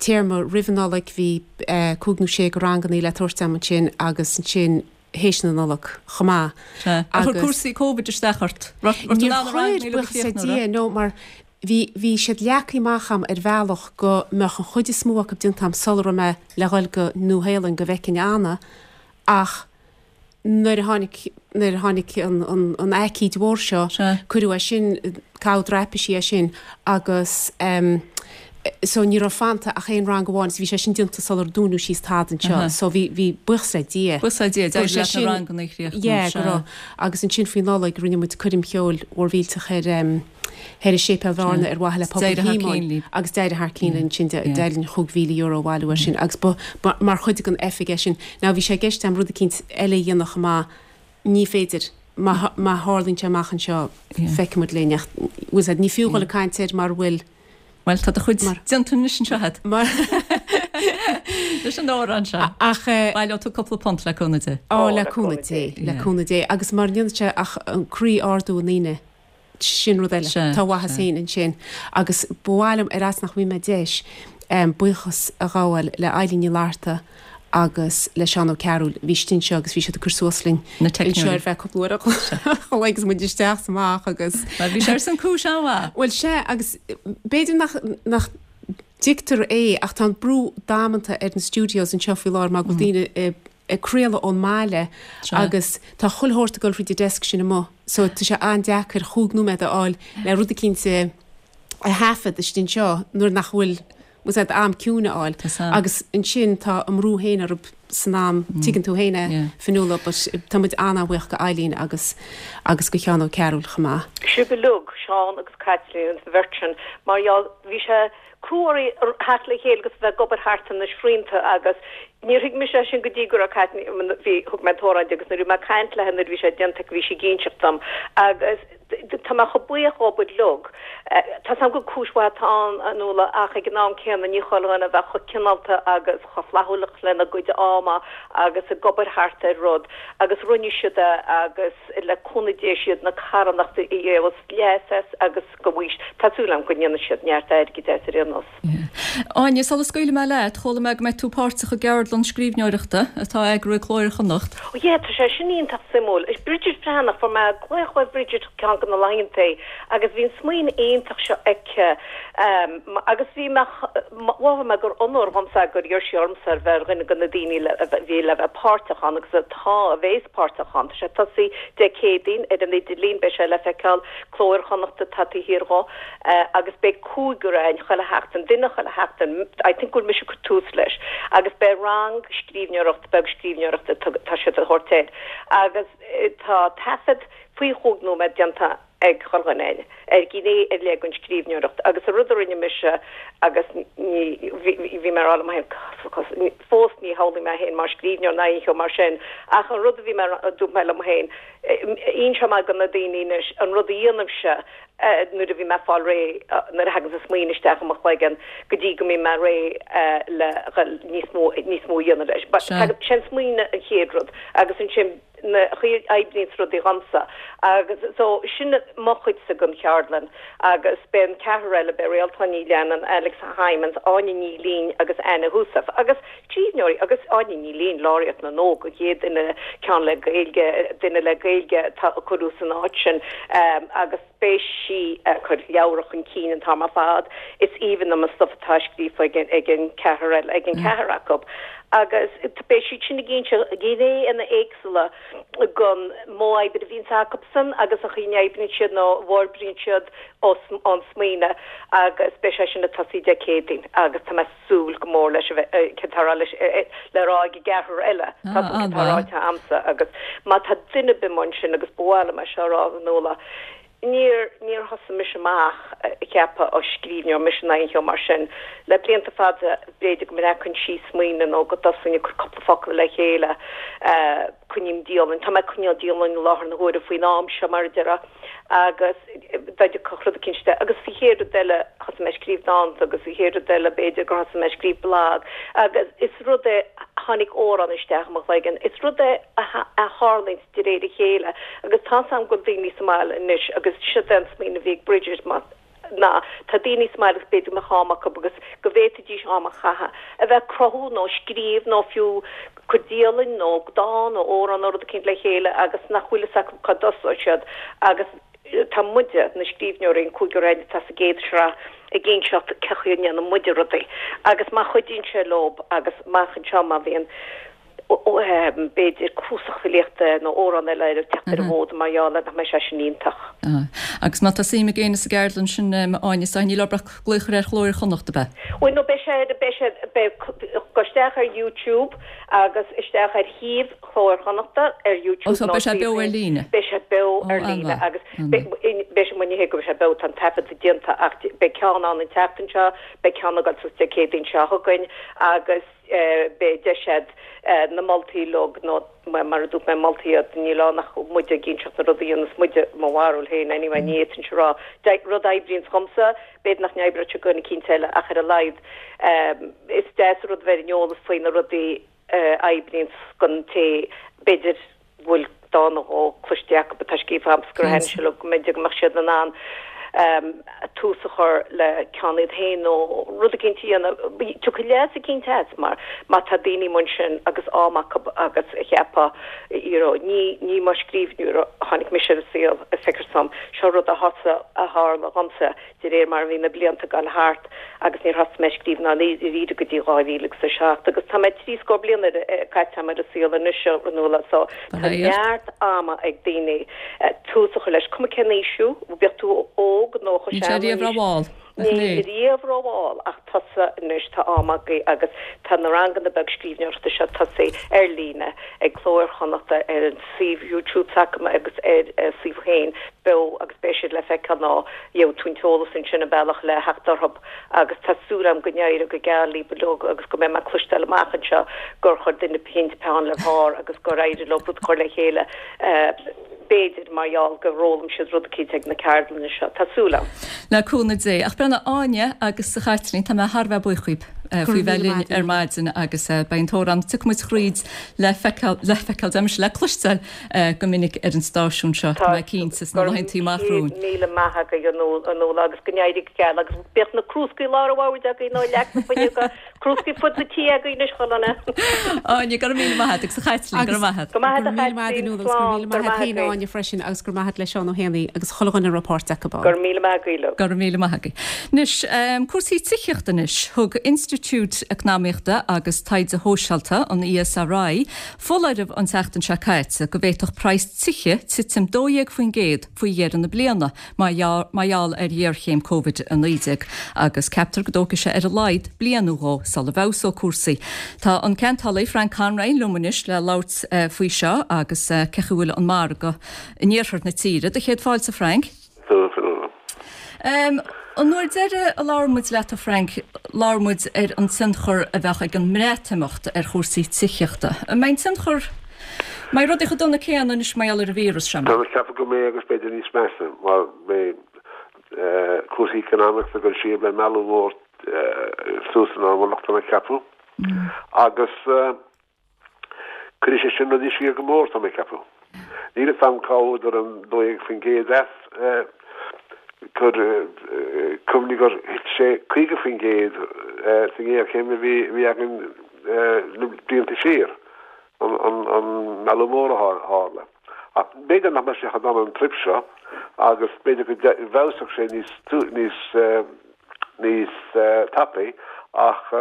téarma roimh an Nollaig, bhí cúig nó sé de rangannaí le tabhairt agam ansin agus ansin théis na Nollag chomh maith. Sea. Ar chuir cúrsaí Covid isteach ort? Raibh tú in ann na Níor rangannaí chuir, uilig a buíochas le chríochnú, Dia, raibh? no, mar Bhí, bhí siad leagtha amach a'm ar bhealach go mbeadh an chuid is mó acu déanta a'm sula raibh mé le dhul go Nua-Shéalainn go bhfeicfinn Anna ach nuair a tháinig, nuair a tháinig an, an, an aicíd mhór seo, Sea. cuireadh é sin, caitheadh draipisí é sin agus em so ní raibh fanta ach aon rang amháin so bhí sé sin déanta sular dúnadh síos tada anseo Aha. so bhí, bhí, buíochas le Dia. Buíochas le Dia, Go raibh d'éirigh sé leat na sin, ranganna a chríochnú, yeah, go sea. raibh. Agus ansin faoi Nollaig rinne muid coirm cheoil mhór mhillteach ar em, thoir i Séipéal Bhearna ar mhaithe le pobal Shíomóin agus d'éirigh thar cionn linn ansin d'éirigh linn chúig mhíle euro a bhailiú ar sin agus ba mar chuid den oifig é sin. Now bhí sé i gceist agam rud eicínt eile a dhéanamh chomh maith, ní féidir, má má tharlaíonn sé amach anseo feicfidh muid linn ach bhfuil 's a'd ní fiú dhul ag caint air mar bhfuil Bhuel tá do chuid déanta anois anseo agat. Mar leis an amhrán seo. Ach baileoidh tú cúpla punt le cúnamh Dé. Ó le cúnamh Dé, le cúnamh Dé agus mar ndéanann sé ach an croí a ardú i ndaoine. Sin rud eile. Tá a mhaitheas féin ansin. Agus ba mhaith liom, ar fhaitíos nach bhfaighidh mé deis, buíochas a ghabháil le Eilín Ní Fhlatharta agus le Seán Ó Cearúil. Bhí siad anseo agus bhí siad ag cur suas linn anseo ar feadh cúpla uair a chloig agus muid isteach is amach agus. Bhuel, bhí sé ar son cúis an-mhaith. Bhuel, sea, agus b'fhéidir nach, nach dtuigtear é ach tá an brú damanta ar na studios anseo faoi láthair mar go bhfuil daoine i ag craoladh ón mbaile agus tá chuile shórt ag dul thríd an desk sin amuigh so tá sé an-deacair chúig nóiméad a fháil le rud eicínt a thaifead istigh anseo nuair nach bhfuil bhfuil 's a'd am ciúin a fháil agus ansin tá a mbrú féin orthu san am, tuigeann tú féin é Fionnuala but tá muid an-an-bhuíoch go Eileen agus agus go Sheán Ó Cearúil chomh maith. Sibh uilig, Seán agus Caitlín, an bheirt sin, mar gheall, bhí sé, Crú oraibh theacht le chéile agus bheith ag obair thart ar na srianta agus níor thuig mise é sin go dtí go raibh Cáit bhí thug mé an t-amhrán di agus nuair a bhí mé ag caint léi nuair a bhí sé déanta aici bhí sí ag inseacht dom agus tá mé chomh buíoch dhóibh uilig. Tá 's a'm gur cúis mhaith atá ann a Nuala ach ag an am céanna ní chuile dhuine a bheadh chomh cineálta agus chomh flaithiúlach lena gcuid ama agus ag obair thart ar rud agus rinne siad é agus le cúnamh Dé siad na carthanachta a gheobhas leas as agus go bhfuis tá súil agam go ndéanfaidh siad neart airgid as ar aon nós. Áine, sula scaoilfidh mé leat, chuala mé go mbeidh tú páirteach i gceardlann scríbhneoireachta atá á eagrú ag Cló Iar-Chonnacht. Ó yeah, tá sé sin iontach suimiúil. Is Bridget Breathnach, fuair mé glaoch ó Bridget ceann de na laethanta agus bhí an smaoineamh iontach seo aici agus bhí mé, mhothaigh mé gur onóir dhomsa gur iarr sí ormsa ar bheith ar dhuine de na daoine le, a bhí le bheith páirteach ann agus atá, a bhéas páirteach ann. Tá sé ag tosaí Dé Céadaoin ar an idirlíon, beidh sé le feiceáil, Cló Iar-Chonnachta atá taobh thiar dhó agus beidh cúigear againn chuile sheachtain, duine chuile sheachtain, I think go bhfuil mise ag cur tús leis agus beidh rang scríbhneoireachta, beag scríbhneoireachta tá siad a thabhairt air agus tá taifead faoi chúig nóiméad déanta ag chuile dhuine againn ar ghné ar leith den scríbhneoireacht agus an rud a rinne mise agus ní bhí mé ag rá liom féin fós ní shamhlaím mé féin mar scríbhneoir ná aon cheo mar sin ach an rud a bhí mé dúirt mé liom féin inseoidh mé do na daoine anois an rud a dhéanaimse nuair a bhí mé ag fáil réidh nuair a thagann an smaoineamh isteach i mo chloigeann go dtí go mbím mé réidh le níos mó níos mó a dhéanamh leis. Sin smaoineamh an chéad rud agus ansin na chaoi a oibríonns rudaí dhomsa agus so sin mo chuidse den cheardlann agus beidh an ceathrar eile, beidh Réaltán Ní Leannáin, Alex Hijmans, Áine Ní Ghlinn agus Anna Heussaff agus scríbhneoirí agus Áine Ní Ghlinn, Laureate na nÓg, an chéad duine ceann le Gaeilge, duine le Gaeilge atá a cuireadh san áit sin agus beidh sí ag cur leabhar chun cinn an t-am ar fad. Is aoibhinn liom an stuif atá scríofa ag an ag an ceathrar eile, ag an ceathrar acu agus beidh siad sin ag inse gnéanna éagsúla den modh oibre a bhíonns acusan agus an chaoi a n-oibríonn siad nó a bhforbraíonn siad ón smaoineamh agus beidh sé sin ag tosaí Dé Céadaoin agus tá mé ag súil go mór leis a bheith céard tá leis le rá ag an gceathrar eile tá tá ráite a'msa agus má tá duine ar bith amuigh ansin agus ba mhaith liom é seo a rá a Nuala Níor, níor thosaigh mise amach ag ceapadh ó scríbhneoir mise ná aon cheo mar sin. Le blianta fada, b'fhéidir go mbreacfainn síos smaoineamh nó go dtosóinn ag cur cúpla focal le chéile. Coinním dialann, tá mé ag coinneáil dialann i láthair na huaire faoin am seo, mar a déarfá, agus dá dtiocfadh rud eicínt de. Agus sa chéad rud eile, thosaigh mé ag scríobh dánta agus sa chéad rud eile, b'fhéidir gur thosaigh mé ag scríobh blag. Agus is rud é, tháinig amhrán isteach i mo chloigeann, is rud é a tharlaíonns de réir a chéile agus tá's a'm go bhfuil daoine sa mbaile anois agus siod é an smaoineamh a bhí ag Bridget má ná tá daoine sa mbaile agus b'fhéidir go mbeadh am acu agus go bhféadfaidís am a chaitheamh a bheith ag cruthú nó scríobh nó fiú cur dialainn nó dán nó amhrán nó rud eicínt le chéile agus nach bhfuil fhios acu cá dtosóidh siad agus tá muide, na scríbhneoirí, an cúigear againn atá sa gcéad sraith, ag inseacht cé chaoi a ndéanann muide rudaí agus má chuidíonn sé leob agus amach anseo má bhíonn b'fhéidir cnuasach filíochta nó amhrán eile ag teacht ar an bhfód mar gheall air, nach mbeidh sé sin iontach. Agus má tá suim ag éinne sa gceardlann sin, Áine, is níl orthu ach glaoch ar Chló Iar-Chonnacht, ab ea? Bhuel, no, beidh sé, beidh sé, beidh, gabh isteach ar YouTube agus isteach ar shuíomh Chló Iar-Chonnachta ar YouTube nó beidh sé beo ar líne? Beidh sé beo ar líne agus beidh sé, ní hé go mbeidh sé beo, tá an taifeadta déanta ach beidh ceann ann an tseachtain seo, beidh ceann ag dul suas Dé Céadaoin seo chugainn agus beidh deis a'd na moltaí uilig nó mar a dúirt mé moltaí iad, níl ann ach muide ag inseacht na rudaí a dhéanas muide, mo bharúil féin anyway, ní fhéadfainnse a rá rud a oibríonns dhomsa, b'fhéidir nach n-oibreodh sé do dhuine eicínt eile ach ar a laghad is deas an rud a bheith ar an eolas faoi na rudaí a oibríonns don té b'fhéidir bhfuil dán nó dhó cloiste acu atá scríofa a'msa gur thaitin sé leo go mb'fhéidir go mbeadh siad in ann tús a chur le ceann iad féin nó rud eicínt a dhéanamh. Tiocfaidh leas eicínt as mar má tá daoine amuigh ansin agus am acu agus a cheapadh you know ní ní mar scríbhneoir a tháinig mise ar an saol feictear dom. Seo rud a thosaigh a tharla dhomsa de réir mar a bhí na blianta ag dul thart agus níor thosaigh mé ag scríobh dáiríre go dtí dhá mhíle agus a seacht agus tá mé trí scór bliain caite agam ar an saol anois a Fhionnuala so tá neart ama ag daoine tús a chur leis, cuma cén aois thú, bíodh tú óg nó chomh Níl sé sean riamh nó níos rómhall. Ní riamh rómhall ach tosú anois tá am agaibh agus tá na ranganna beag scríbhneoireachta seo tosaithe ar líne ag Cló Iar-Chonnachta ar an suíomh YouTube s'acu agus ar a suíomh féin beo agus beidh siad le feiceáil ná gheobhaidh tú an t-eolas ansin an bealach le theacht orthu agus tá súil agam go n-éireoidh go geal libh uilig agus go mbeidh mé ag cloisteáil amach anseo gur chuir duine eicínt peann le pár agus gur éirigh leo rud a chur le chéile b'fhéidir mar gheall gur fhoghlaim siad rud eicínt ag na ceardlanna seo. Tá súil agam. Le cúnamh Dé. Ach breathnaigh, Áine agus a Chaitlín, tá mé thar a bheith buíoch dhaoib faoi bheith linn ar maidin agus beidh an t-amhrán Tiocfaidh Muid Thríd le feiceáil, le feiceáil, deirimse, le cloisteáil go minic ar an stáisiún seo, tá mé cinnte, sna laethanta amach romhainn. Go raibh míle maith agaibh a Nuala agus go n-éirí go geal agus bíodh na crúscaí lár an bhoird agaibh nó leac na fuinneoga, crúscaí fud na tí agaibh anois chuile dhuine. Áine, go raibh míle maith agat agus a Chaitlín, go raibh maith agat. Go maith Go raibh míle maith agat a Nuala agus go raibh míle maith agat féin Áine freisin agus go raibh maith agat le Seán Ó hÉanaí agus chuile dhuine a raibh páirt acu ann. Go raibh míle maith agaibh uilig. Go raibh míle maith agaibh. Anois, cúrsaí tithíochta anois. Thug Institiúid Eacnamaíochta agus Taighde Shóisialta, an ESRI, foláireamh an tseachtain seo caite go bhféadfadh praghas tithe titim dó dhéag faoin gcéad faoi dheireadh na bliana mar gheall ar ghéarchéim Covid a naoi déag agus ceaptar go dtógfaidh sé ar a laghad bliain nó dhó sula bhfeabhsóidh cúrsaí. Tá an ceantálaí Frank Conroy liom anois le labhairt faoi seo agus cén chaoi a bhfuil an margadh in iarthar na tíre. Do chéad fáilte Frank. An uair deiridh a labhair muid leat a Frank, labhair muid ar an tionchar a bheadh ag an mBreatimeacht ar chúrsaí tithíochta. An mbeidh an tionchar, an mbeidh rudaí chomh dona céanna anois mar gheall ar an víreas seo? Tá mé ag ceapadh go mbeidh agus b'fhéidir níos measa mar beidh cúrsaí eacnamaíochta ag dul siar, beidh meathlú mór suas ná mar lucht ag ceapadh agus Cuirfidh sé sin rudaí siar go mór, tá mé ag ceapadh. Níl fhios a'm cá bhfuaireadar an dó dhéag faoin gcéad as. Cuir cuimhnigh gur thit sé caoga faoin gcéad sa ngéarchéim a bhí againn na blianta siar, an meathlú mór a tharla. Ach b'fhéidir nach mbeidh sé chomh dona an trip seo agus b'fhéidir go bhfeabhsódh sé níos níos níos tapaí ach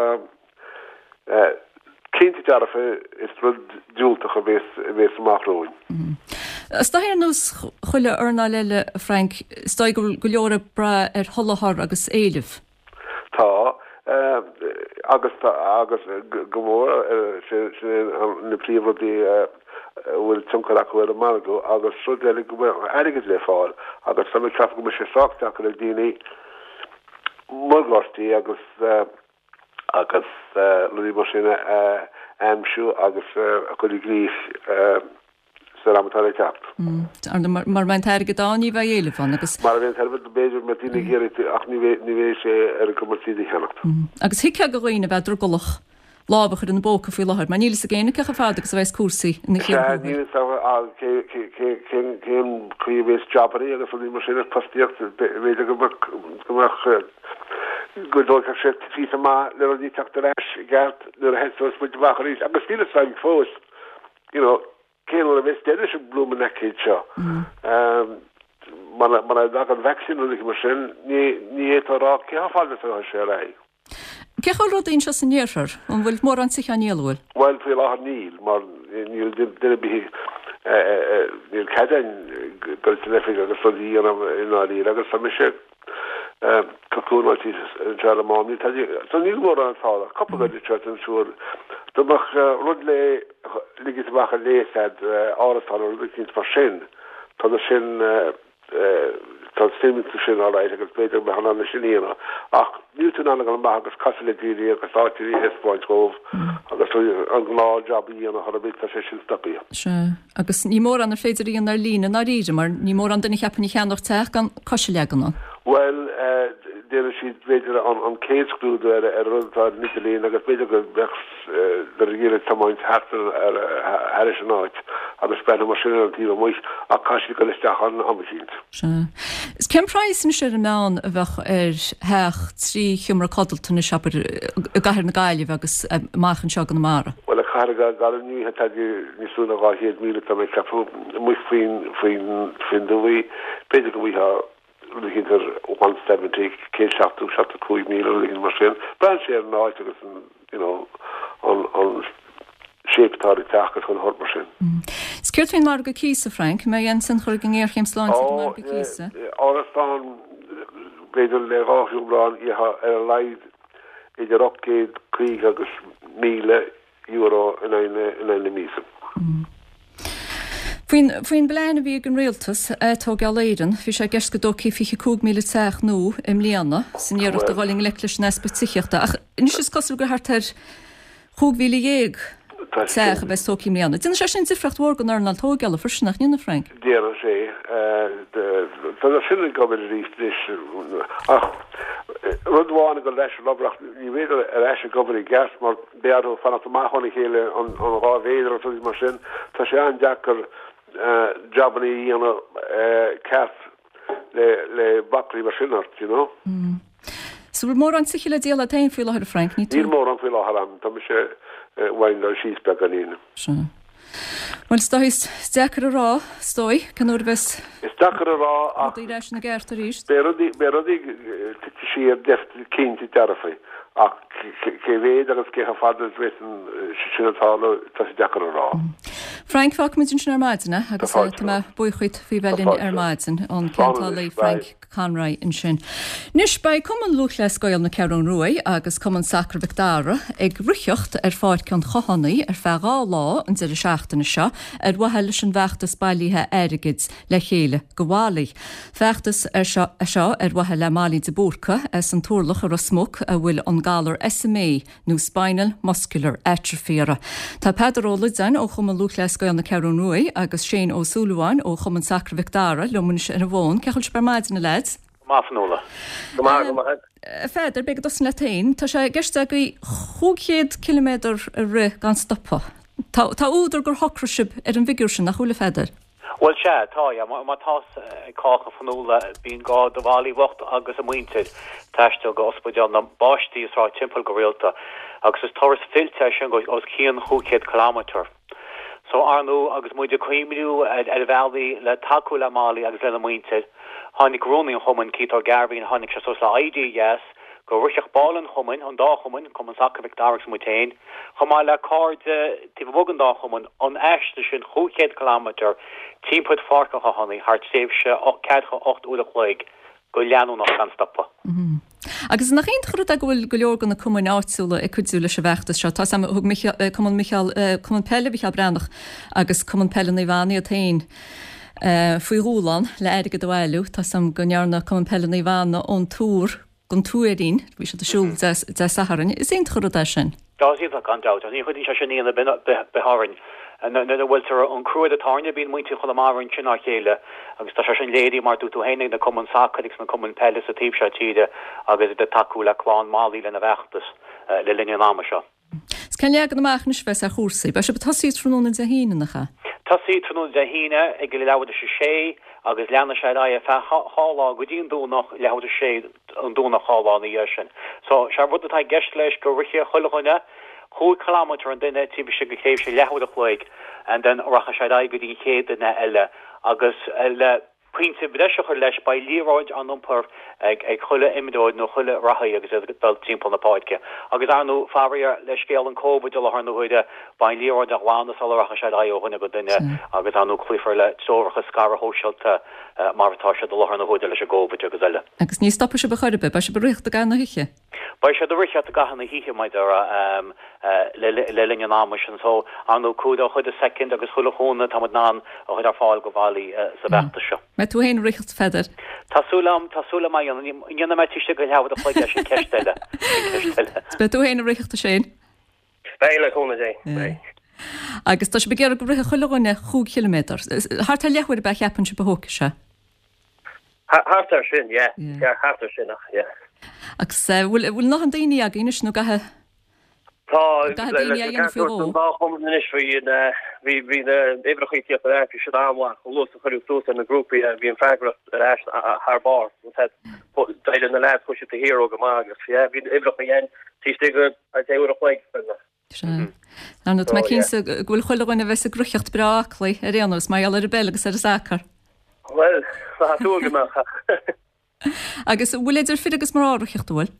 Cinnte dearfa is rud diúltach a bhéas a bhéas amach romhainn. Is dóigh ar nós chuile earnáil eile, a Frank, is dóigh go bhfuil go leor ag brath ar sholáthar agus éileamh. Tá, agus tá, agus go mór, sin na príomhrudaí a bhfuil tionchar acu ar an margadh agus rud eile go mbeadh airgead le fáil agus tá mé ag ceapadh go mbeidh sé sách deacair ag daoine morgáistí agus agus rudaí mar sin a aimsiú agus a chur i gcrích san am atá le teacht. Ar ndóigh, mura mbeidh an t-airgead ann, ní bheidh éileamh ann agus. Mura mbeidh an t-airgead, b'fhéidir, mbeidh daoine ag iarraidh ach ní bheidh sé ar a gcumas iad a cheannacht. Agus thuigfeá do dhaoine a bheith drogallach lámh a chur ina bpóca faoi láthair, mar níl fhios ag éinne cé chomh fada agus a bheas cúrsaí ina Sea, níl fhios ag cén chaoi a bheas jabannaí agus rudaí mar sin agus postaíocht, b'fhéidir go mbeadh go dtógfadh sé píosa maith le rudaí teacht ar ais i gceart nuair a thosós muid amach arís agus níl fhios againn fós you know cén uair a bheas deireadh leis an bloomin' aicíd seo. Muna muna dtagann vaccine nó rudaí mar sin ní ní fhéadfá a rá cé chomh fada is a rachaidh sé ar aghaidh. Cén chaoi a bhfuil rudaí anseo san iarthar? An bhfuil mórán tithe á ndíol, an bhfuil? Bhuel faoi láthair níl mar níl duine ar bith níl cead againn dul san oifig agus rudaí a dhéanamh i ndáiríre agus tá mise cocúnáilte anseo ar an mám. Níl tada, so níl mórán ag tarlú. Cúpla rud anseo is ansiúd. Dá mbeadh rud le ligint amach ar léas a'd, árasán nó rud eicínt mar sin, tá na sin, tá suim iontu sin alright agus b'fhéidir go mbeifeá in ann é sin a dhéanamh. Ach níl tú in ann a dhul amach agus casadh le daoine agus áiteanna a thaispeáint dhóibh agus an gnáth job a dhéanamh chor ar bith, tá sé sin stoptha. Sea. Agus ní mórán ar féidir a dhéanamh ar líne i ndáiríre, mar ní mórán duine a cheapfainn a cheannódh teach gan cos a leagan ann. Bhuel, déanann siad, b'fhéidir, an chéad scrúdú ar an rud atá ar an idirlíon agus b'fhéidir go mbeadh siad ag iarraidh tiomáint thart ar thairis an áit agus breathnú mar sin ar an taobh amuigh ach caithfidh siad dul isteach ann am eicínt. Sea. Is cén praghas anois ar an meán a bheadh ar theach trí sheomra codlata anois, abair, i gcathair na Gaillimhe agus amach anseo i gConamara? Bhuel, i gcathair na Gaillimhe ní bheidh tada níos lú ná dhá chéad míle, tá mé ag ceapadh, amuigh faoin, faoin, faoin dtuaith, b'fhéidir go bhfaighfeá rud eicínt ar one seventy, céad seachtó, seachtó cúig míle, rud eicínt mar sin. Braitheann sé ar an áit agus an, you know, an, an shape atá ar an teach agus chuile shórt mar sin. Is céard faoin margadh cíosa, Frank? An mbeidh aon tionchar ag an ngéarchéim sláinte ar an Ó, margadh cíosa? árasán, b'fhéidir le dhá shiúlán íoctha ar a laghad idir ocht gcéad caoga agus míle euro in aghaidh na míosa. Faoin faoin bplean a bhí ag an rialtas, Atógáil Éireann, bhí sé i gceist go dtógfaí fiche cúig míle teach nua i mbliana san iarracht a dhul i ngleic leis an easpa tithíochta ach anois is cosúil gur thart ar chúig mhíle dhéag teach a bheas tógtha i mbliana. Déanann sé sin difríocht mhór don earnáil tógála freisin, nach ndéanann, Frank? Déanann sé. Tá na sin ag obair arís anois ach rud amháin ag dul leis an obair ach ní bhíodar ar ais ag obair i gceart mar beidh orthu fanacht amach óna chéile an dhá mhéadar agus rudaí mar sin. Tá sé an-deacair jabanna a dhéanamh ceart le le bacainní mar sin ort, you know. So bhfuil mórán tithe le díol agat féin faoi láthair, a Frank? Ní tú. Níl mórán faoi láthair agam, tá mise uainn dul síos beagáinín. Sea. Bhuel, is dóigh, is deacair a rá, is dóigh, cén uair a bheas Is deacair a rá ach rudaí ar ais ina gceart arís. Beidh rudaí, beidh rudaí tite siar cinnte dearfa ach cé mhéad agus cé chomh fada is a bheas sin ag tarlú, tá sé deacair a rá. Frank, fágfaimid ansin ar maidin é agus tá mé buíoch dhuit faoi bheith linn ar maidin, an ceantálaí Frank Conroy ansin. Anois, beidh Cumann Lúthchleas Gael na Ceathrún Rua agus Cumann Sacair Mhic Dara ag ritheacht ar Pháirc an Chathánaigh ar feadh dhá lá an deireadh seachtaine seo ar mhaithe leis an bhfeachtas bailithe airgid Le Chéile do Mholly. Feachtas é seo ar mhaithe le Molly de Búrca as an Turlach i Ros Muc a bhfuil an galar SMA nó Spinal Muscular Atrophy uirthi. Tá Peadar Ó Loideáin ó Chumann Lúthchleas Gael na Ceathrún Rua agus Shane Ó Súilleabháin ó Chumann Sacair Mhic Dara liom anois ar an bhfón. Cén chaoi a bhfuil sibh ar maidin, a leaids? Go maith, a Fhionnuala. Go maith, go maith. A Pheadair, beidh ag tosú leat féin. Tá sé i gceist agaibh chúig chéad ciliméadar a rith gan stopadh. Tá tá údar gur shocraigh sibh ar an bhfigiúr sin, nach bhfuil, a Pheadair? Bhuel, sea, tá, yeah. Má tá 'fhios ag cách, a Fhionnuala, bíonn gá do Mholly bhocht agus a muintir taisteal go ospidéal na bpáistí is Sráid Temple go rialta agus is turas fillte é sin go os cionn chúig chéad kilometre. So, ar ndóigh, agus muid ag cuimhniú ar ar bhealaí le tacú le Molly agus lena muintir, tháinig rúnaí an chumainn, Keith Ó Gairbhín, tháinig sé suas le idea dheas go rithfeadh baill an chumainn, an dá chumann, Cumann Sacair Mhic Dara agus muid féin, chomh maith le cairde taobh amuigh den dá chumann, an aistear sin chúig chéad kilometre timpeall Pháirc an Chathánaigh thar tréimhse ceathracha ocht uair a chloig go leanúnach gan stopadh. Agus nach iontach an rud é go bhfuil go leor de na cumainn áitiúla ag cuidiú leis an bhfeachtas seo. Tá 's agam, thug Cumann Micheál, Cumann Peile Mhicheál Breathnach agus Cumann Peile Naomh Anna iad féin faoi dhúshlán le airgead a bhailiú. Tá 's agam go ndearna Cumann Peile Naomh Anna ón Tuar gon Tuairín, bhí siad ag siúl Dé Sathairn. Is iontach an rud é sin. Tá, is iontach gan dabht, ach ní chuidíonn sé sin ionadh ar bith orainn. Nuair a bhfuiltear an cruaidh atá orainne, bíonn muintir Chonamara ansin á chéile agus tá sé sin léirithe mar dúirt tú féin ag na cumainn sacair agus na cumainn peile sa taobh seo tíre agus iad ag tacú le clann Molly lena bhfeachtas le linn an ama seo. Is cén leagan amach anois a bheas ar chúrsaí? Beidh sibh ag tosaí tráthnóna Dé hAoine, nach ea? Tosaí tráthnóna Dé hAoine ag leathuair tar éis a sé agus leanfaidh sé ar aghaidh ar feadh dhá lá go dtí an Domhnach, leathuair tar éis a sé an Domhnach dhá lá ina dhiaidh sin. So, sé an rud atá i gceist leis go rithfidh chuile dhuine chúig chileámeter an duine taobh istigh de thréimhse leathuair a chloig and then rachaidh sé ar aghaidh go dtí an chéad duine eile agus le Pointe breise a chur leis, beidh liathróid á n-iompar ag chuile imreoir nó chuile reathaí agus iad ag dul timpeall na páirce. Agus ar ndóigh, faraor, le scéal an Covid i láthair na huaire, beidh an liathróid á glanadh sula rachaidh sé ar aghaidh ó dhuine go duine agus ar ndóigh cloífear le treoracha scaradh shóisialta mar atá siad i láthair na huaire leis an gCovid agus eile. Agus ní stopfaidh sibh ar chor ar bith, beidh sibh ag ritheacht i gcaitheamh na hoíche. Beidh siad ag ritheacht i gcaitheamh na hoíche, mar a déarfá, le linn an ama sin. So, ar ndóigh, cuideoidh chuile soicind agus chuile chúnamh atá muid in ann a chur ar fáil do Mholly sa bhfeachtas seo. Mbeidh tú féin ag ritheacht, a Pheadair? Tá súil agam, tá súil agam a dhéanamh. An ndéanfaidh mé taobh istigh de leathuair a chloig é sin ceist eile. Sin ceist eile. Beidh tú féin ag ritheacht, a Shane? Beidh, le cúnamh Dé. Beidh. Agus tá sibh ag iarraidh go rithfeadh chuile dhuine chúig chiliméadar. Thart ar leathuair ab ea a cheapann sibh a thógfaidh sé? Thart ar sin, yeah. Yeah, thart ar sin ach, yeah. Agus bhfuil bhfuil a ndóthain daoine agaibh anois nó caithfidh Tá, caithfidh daoine a dhéanamh faoi dhó? An dá chumann anois bhí na bhí bhí na uimhreacha ag tíocht ar ais, bhí siad an-mhaith, chomh luath is a cuireadh suas ar na grúpaí é, bhí an freagracht ar ais thar barr. D'éirigh na leaids, chuaigh siad to hero go maith agus yeah, bhí na uimhreacha again taobh istigh de deich uair a chloig. Sea. Ar ndóigh, tá mé cinnte go bhfuil chuile dhuine a bheas ag ritheacht breá aclaí ar aon nós, mar gheall ar an bpeil agus ar an sacar. Bhuel, tá súil go mbeadh. Agus an bhfuil idir fir agus mná ag ritheacht, an bhfuil?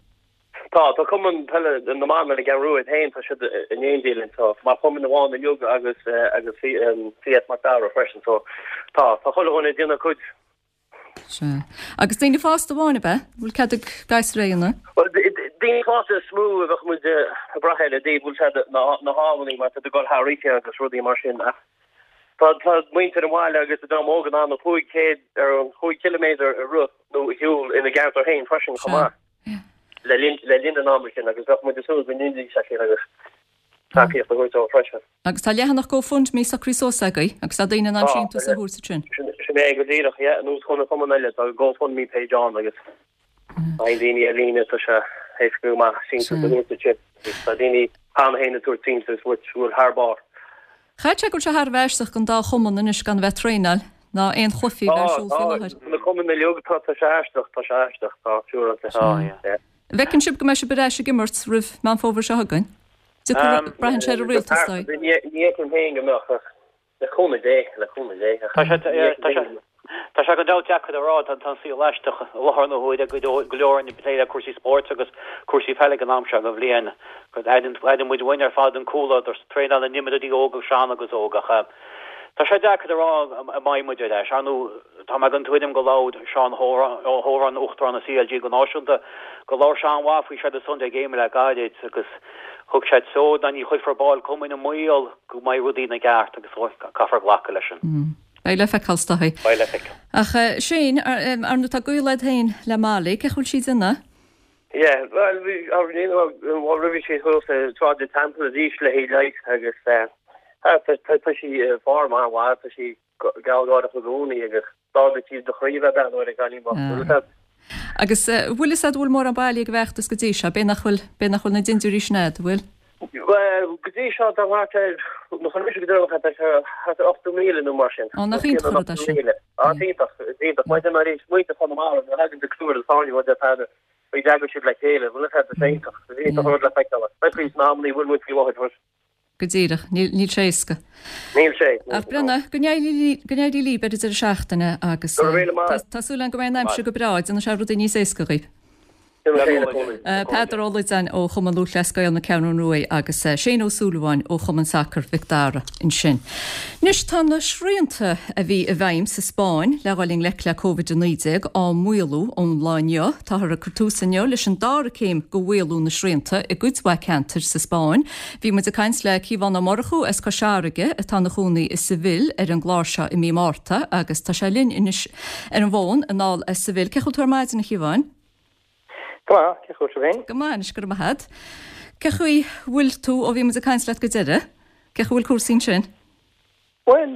Tá, tá Cumann Peile na mBan ar an gCeathrú Rua iad féin, tá siad in éindí linn, tá mar chumann amháin inniu agus agus CS Mac Dara freisin, so tá, tá chuile dhuine ag déanamh a cuid. Sea. Agus daoine fásta amháin ab ea? Bhfuil cead ag gasúir é a dhéanamh? Bhuel, daoine fásta is mó a bheadh muid ag brath air i dtaobh bhfuil siad na hamannaí mar tá ag dul thar oíche agus rudaí mar sin ach tá tá muintir an bhaile agus an dream óg in ann na cúig chéad ar an chúig chiliméadar a rith nó a shiúl ina gceantar féin freisin chomh maith le linn le linn an ama sin agus bheadh muid ag súil go ndéanfaidís é sin agus tacaíocht a thabhairt dóibh freisin. Agus tá leathanach GoFundMe socraithe suas agaibh agus tá daoine in ann síntiús a thabhairt ansin. Sin é go díreach, yeah, ar nós chuile chumann eile, tá GoFundMe page ann agus faigheann daoine ar líne, tá sé éasca go maith síntiús a thabhairt ansin. Tá daoine cheana féin ag tabhairt síntiús which bhfuil thar barr. Chaithfeadh sé go bhfuil sé thar a bheith aisteach don dá chumann anois gan a bheith ag traenáil ná aon chluichí a bheith ar siúl faoi láthair. Tá, tá, na cumainn uilig, tá, tá sé aisteach, tá sé aisteach, tá, siúráilte. Tá, yeah. An bhfeiceann sibh go mbeidh sibh ar ais ag imirt roimh Meán Fómhair seo chugainn? Braitheann sé ar an rialtas dóigh. Ní fheicim féin go mbeadh ach le cúnamh Dé, le cúnamh Dé. Tá sé tá sé gan dabht deacair a rá, tá an saol aisteach i láthair na huaire go leor ag plé le cúrsaí spóirt agus cúrsaí peile ag an am seo den bhliain. Airíonn muid uainn ar fad an comhluadar traenáil na n-imreoirí óga sean agus óg ach Tá sé deacair a rá an mbeidh muid ar ais. Ar ndóigh, tá mé den tuairim go labhair Seán Ó hÓráin, Uachtarán an CLG go náisiúnta, go labhair sé an-mhaith faoi seo ar an Sunday Game le gairid agus thug sé treo ná ní chuirfear baill cumainn i mbaol go mbeidh rudaí ina gceart agus caithfear glacadh leis sin. Beidh le feiceáil, is dóigh. Beidh le feiceáil. Ach Shane, ar ndóigh tá gaol agat féin le Molly, cén chaoi a bhfuil sí ag déanamh? Yeah, bhuel, bhí, roimhe sí thuas i Sráid an Teampaill arís le haghaidh leighis agus tá sí i bhform an-mhaith, tá sí gealgháireach i gcónaí agus d'ardaigh sí do chroí a bheith ag breathnú ar an gcailín bocht, bhfuil fhios agat. Agus bhfuil fhios agat bhfuil mórán bailithe ag an bhfeachtas go dtí seo, b'é nach bhfuil, b'é nach bhfuil na dindiúirí sin agat, bhfuil? Bhuel, go dtí seo tá thart ar, nó chun mise go deireanach, tá sé thart ar ochtó míle nó mar sin. Ó, nach iontach an rud é sin. Á, is iontach, is iontach. Maidir le arís, muintir Chonamara, nuair a thagann de clúmh ar an Sáinne, rud ar fad, bhí d'eagraigh siad le chéile, bhfuil fhios agat, is iontach, is iontach an rud le feiceáil. Beidh faoi sna hamannaí a bhfuil muid faoi láthair, but. Go díreach. Níl, níl sé éasca. Níl sé. Ach breathnaigh, go n-éirí, go n-éirí libh ar an deireadh seachtaine agus Go raibh míle maith. tá, tá súil agam go mbeidh an aimsir go breá, déanfaidh sé rudaí níos éasca dhaoibh. Peadar Ó Loideáin ó Chumann Lúthchleas Gael na Ceathrún Rua agus Shane Ó Súilleabháin ó Chumann Sacair Mhic Dara ansin. Anois tá na srianta a bhí i bhfeidhm sa Spáinn le dhul i ngleic le Covid a naoi déag á maolú ón lá inniu. Táthar ag cur tús inniu leis an dara céim de mhaolú na srianta i gcuid mhaith ceantair sa Spáinn. Bhí muid ag caint le Cíobhán Ó Murchú as Cois Fharraige atá ina chónaí i Seville ar an gclár seo i mí Márta agus tá sé linn anois ar an bhfón anall as Seville. Cén chaoi a bhfuil tú ar maidin a Chíobháin? Go maith, cén chaoi a bhfuil sibh féin? Go maith anois, go raibh maith agat. Cén chaoi a bhfuil tú ó bhí muid ag caint leat go deireadh? Cén chaoi a bhfuil cúrsaí ansin? Bhuel,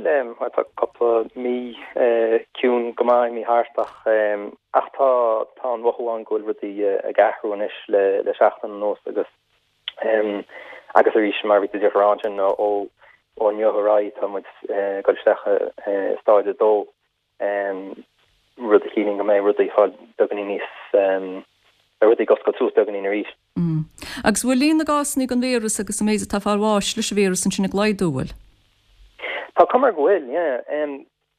tá cúpla mí ciúin go maith imithe thart ach ach tá tá an mhothú ann go bhfuil rudaí ag athrú anois le le seachtain anuas agus agus arís mar a bhí tú ag rá ansin ó ó inniu ar aghaidh tá muid ag dul isteach i stáid a dó. rud a chiallaíonn go mbeidh rudaí fáil beagáinín níos, beidh rudaí ag oscailt suas beagáinín arís. Agus bhfuil líon na gcásanna den víreas agus an méid atá ag fáil bháis leis an víreas ansin ag laghdú, bhfuil? Tá cuma air go bhfuil, yeah.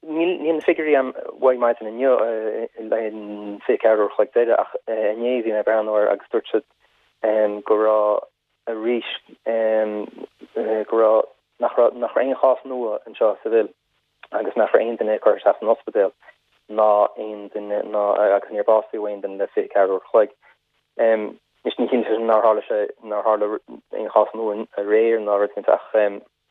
Níl níl na figiúirí agam uaidh maidin inniu le an fiche ceathair uair a chloig deiridh ach inné bhí mé ag breathnú air agus dúirt siad go raibh arís go raibh nach raibh nach raibh aon chás nua anseo i Seville. agus nach raibh aon duine curtha isteach san ospidéal ná aon duine ná agus níor básaíodh aon duine le fiche ceathair uair a chloig. Anois ní chiallaíonn sé sin nár tharla sé nár tharla aon chás nua aréir ná rud éicint ach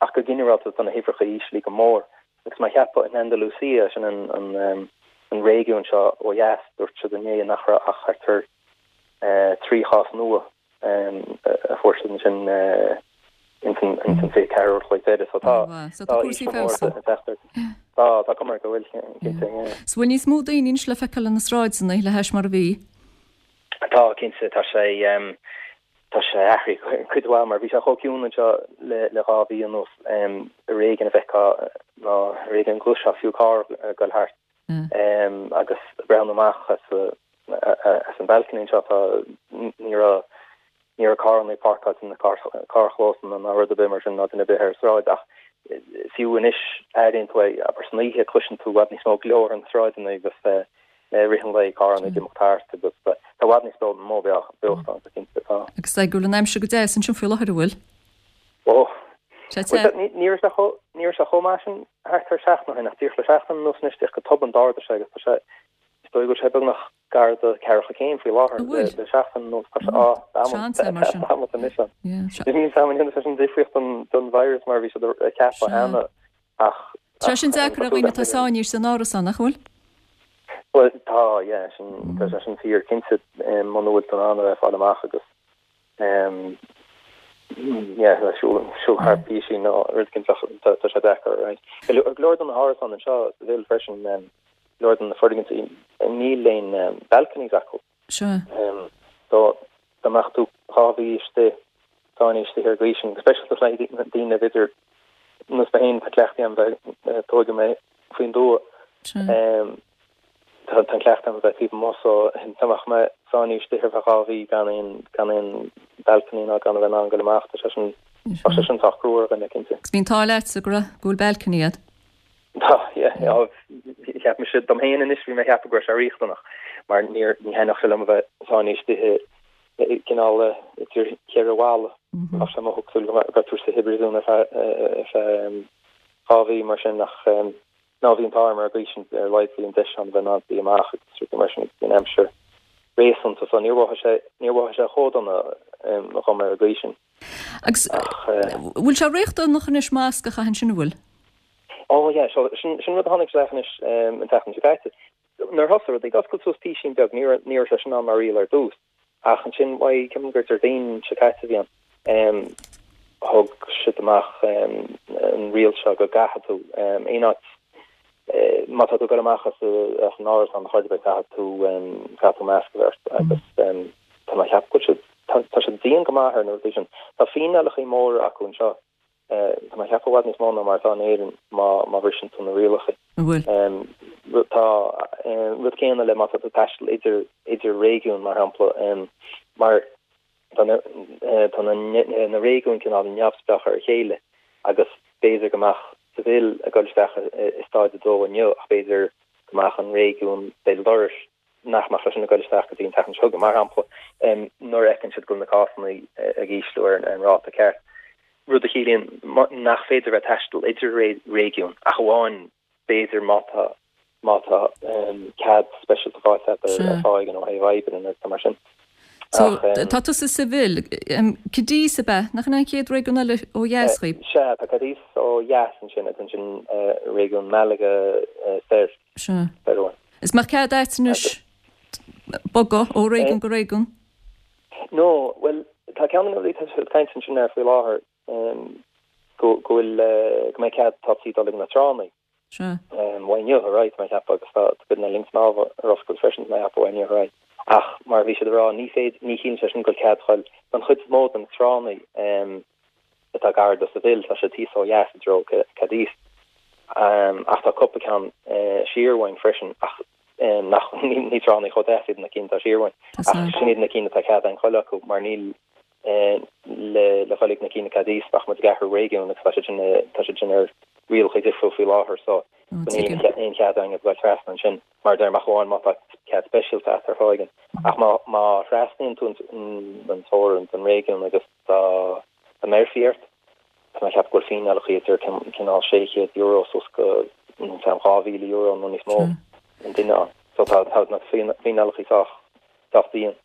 ach go ginearálta tá na huimhreacha íslithe go mór agus mar a cheapfá in Andalusia sin an an an réigiún seo ó dheas dúirt siad inné nach raibh ach thart ar trí chás nua a fuair siad ansin ins an ins an fiche ceathair uair a chloig deiridh. So tá So tá cúrsaí ag feabhsú. Tá tá cuma air go bhfuil cinnte yeah. So bhfuil níos mó daoine anois le feiceáil ar na sráideanna le hais mar a bhí? Tá cinnte tá sé tá sé athraithe cuid mhaith mar bhí sé chomh ciúin anseo le le dhá mhí anuas ar éigean a bhfeicfeá nó ar éigean go gcloisfeá fiú carr ag dul thart agus ag breathnú amach as as an balcony anseo tá ní raibh ní raibh carranna páirceáilte sna carrchlósanna ná rud ar bith mar sin ná duine ar bith ar an sráid ach fiú anois airíonn tú é abair san oíche cloiseann tú i bhfad níos mó glór ar na sráideanna agus i rith an lae carranna ag imeacht thart agus tá i bhfad níos mó beochta ann go cinnte tá. Agus go bhfuil an aimsir go deas ansin faoi láthair an bhfuil? Ó, Sé te. ní raibh sé chomh ní raibh sé chomh maith sin thart ar seachtain ó shin ach díreach le seachtain anuas anois díreach go tobann d'ardaigh sé agus tá sé dóigh go bhfuil sé beagnach gar do ceathracha céim faoi láthair le seachtain anuas. Tá sé á tamall anois ann. Níl a fhios agam an ndéanfaidh sé sin difríocht don don virus mar bhí siad ag ceapadh cheana ach Tá sin deacair ar dhaoine atá sáinnithe san árasán, nach bhfuil? Bhuel tá, yeah, sin tá sé sin fíor cinnte muna bhfuil tú in ann a bheith ag fáil amach agus yeah le siúl siúl thar písín nó rud éicint tá tá sé deacair, right. Go leor de na hárasáin anseo sa Seville freisin go leor de na foirgintí níl aon balconies acu. Sure. So dá mbeadh tú dhá mhí istigh sáinnithe istigh ar an gcaoi sin, go speisialta le daoine b'fhéidir nós mé féin tá cleachtaí agam bheith tógadh mé faoin dtuath. Sure. Tá an cleachtadh agam a bheith taobh amuigh so dá mbeadh mé sáinnithe istigh ar feadh dhá mhí gan aon gan aon balcony ná gan a bheith in ann goil amach tá sé sin tá sé sin sách crua ar dhuine cinnte. Agus bhí an t-ádh leatsa go raibh go bhfuil balcony agat. Tá yeah cheap mise dom féin anois bhí mé ag ceapadh go raibh sé riachtanach mar níor ní thaitneodh sé liom a bheith sáinnithe istigh i gcineál idir cheithre bhalla. Bheadh sé mothú cosúil go raibh tú sa phríosún ar feadh ar feadh dhá mhí mar sin ach ná bhí an t-ádh orm ar an gcaoi sin ar a laghad bhí an deis ann a bheith in ann suí amach agus rudaí mar sin agus bhí an aimsir réasúnta so níor mhothaigh sé níor mhothaigh sé chomh dona dhom ar an gcaoi sin. Agus Ach bhfuil sé riachtanach anois masc a chaitheamh ansin an bhfuil? Ó yeah so sin sin rud a tháinig isteach anois an tseachtain seo caite. Nuair a thosaigh rudaí ag oscailt suas písín beag ní raibh ní raibh sé sin ann mar riail ar dtús ach ansin uaidh ceapaim gur Déardaoin seo caite a bhí ann thug siad amach an riail seo go gcaithfidh tú aon áit má tá tú ag dul amach as as an árasán ar chor ar bith caithfidh tú caithfidh tú masc a bheith ort agus tá mé ag ceapadh go bhfuil siad tá tá siad dian go maith ar na rudaí sin. Tá fíneálacha móra acu anseo tá mé ag ceapadh i bhfad níos mó ná mar atá in Éirinn má má bhriseann tú na rialacha. An bhfuil? Tá rud céanna le má tá tú ag taisteal idir idir réigiúin mar shampla mar tá na tá na na réigiúin cineál neamhspleách ar a chéile agus b'fhéidir go mbeadh Seville ag dul isteach i staid a dó inniu ach b'fhéidir go mbeadh an réigiún béal dorais nach mbeadh sé sin ag dul isteach go dtí an tseachtain seo chugainn, mar shampla, nuair a fheiceann siad go bhfuil na cásanna ag ísliú ar an ráta ceart, rud a chiallaíonn nach féidir bheith ag taisteal idir réigiúin ach amháin b'fhéidir má tá má tá cead speisialta faighte agat ar fáth éigin ó thaobh oibre nó rud mar sin. So, tá tusa i Seville, Cadiz ab ea? Nach in an chéad réigiún eile ó dheas dhaoibh? Sea, tá Cadiz ó dheas ansin agus ansin réigiún Malaga soir. Sea. Is mbeadh cead agat anois bogadh ó réigiún go réigiún? No, bhuel, tá ceann de na rudaí atá siad ag caint ansin air faoi láthair go bhfuil, go mbeidh cead topsaí dul ag na tránna. Sea. Uaidh inniu ar aghaidh, tá mé ag ceapadh, agus tá cuid de na linn snámha ar oscailt freisin, tá mé ag ceapadh, uaidh inniu ar aghaidh. Ach mar a bhí siad ag rá, ní féidir, ní chiallaíonn sé sin go bhfuil cead a ghoil don chuid is mó de na tránna atá gar do Seville, tá siad thíos ó dheas i dtreo Cadiz. Ach tá cúpla ceann siar uainn freisin, ach nach, ní tránna chomh deas iad na cinn atá siar uainn. Ach sin iad na cinn atá cead againn goil acu, mar níl le le ghoil ag na cinn i Cadiz bheadh muid ag athrú réigiún agus tá siad sin tá siad sin ar rialacha difriúil faoi láthair so níl aon chead againn a ghoil trasna ansin mar a deirim ach amháin má tá cead speisialta agat ar fáth éigin. Ach má má thrasnaíonn tú an teorainn don réigiún agus dá dá mbéarfaí ort tá mé ag ceapadh go bhfuil fíneálacha idir cineál sé chéad euro suas go dhá mhíle euro nó níos mó an duine ann. So tá tá na fíneálacha sách sách dian.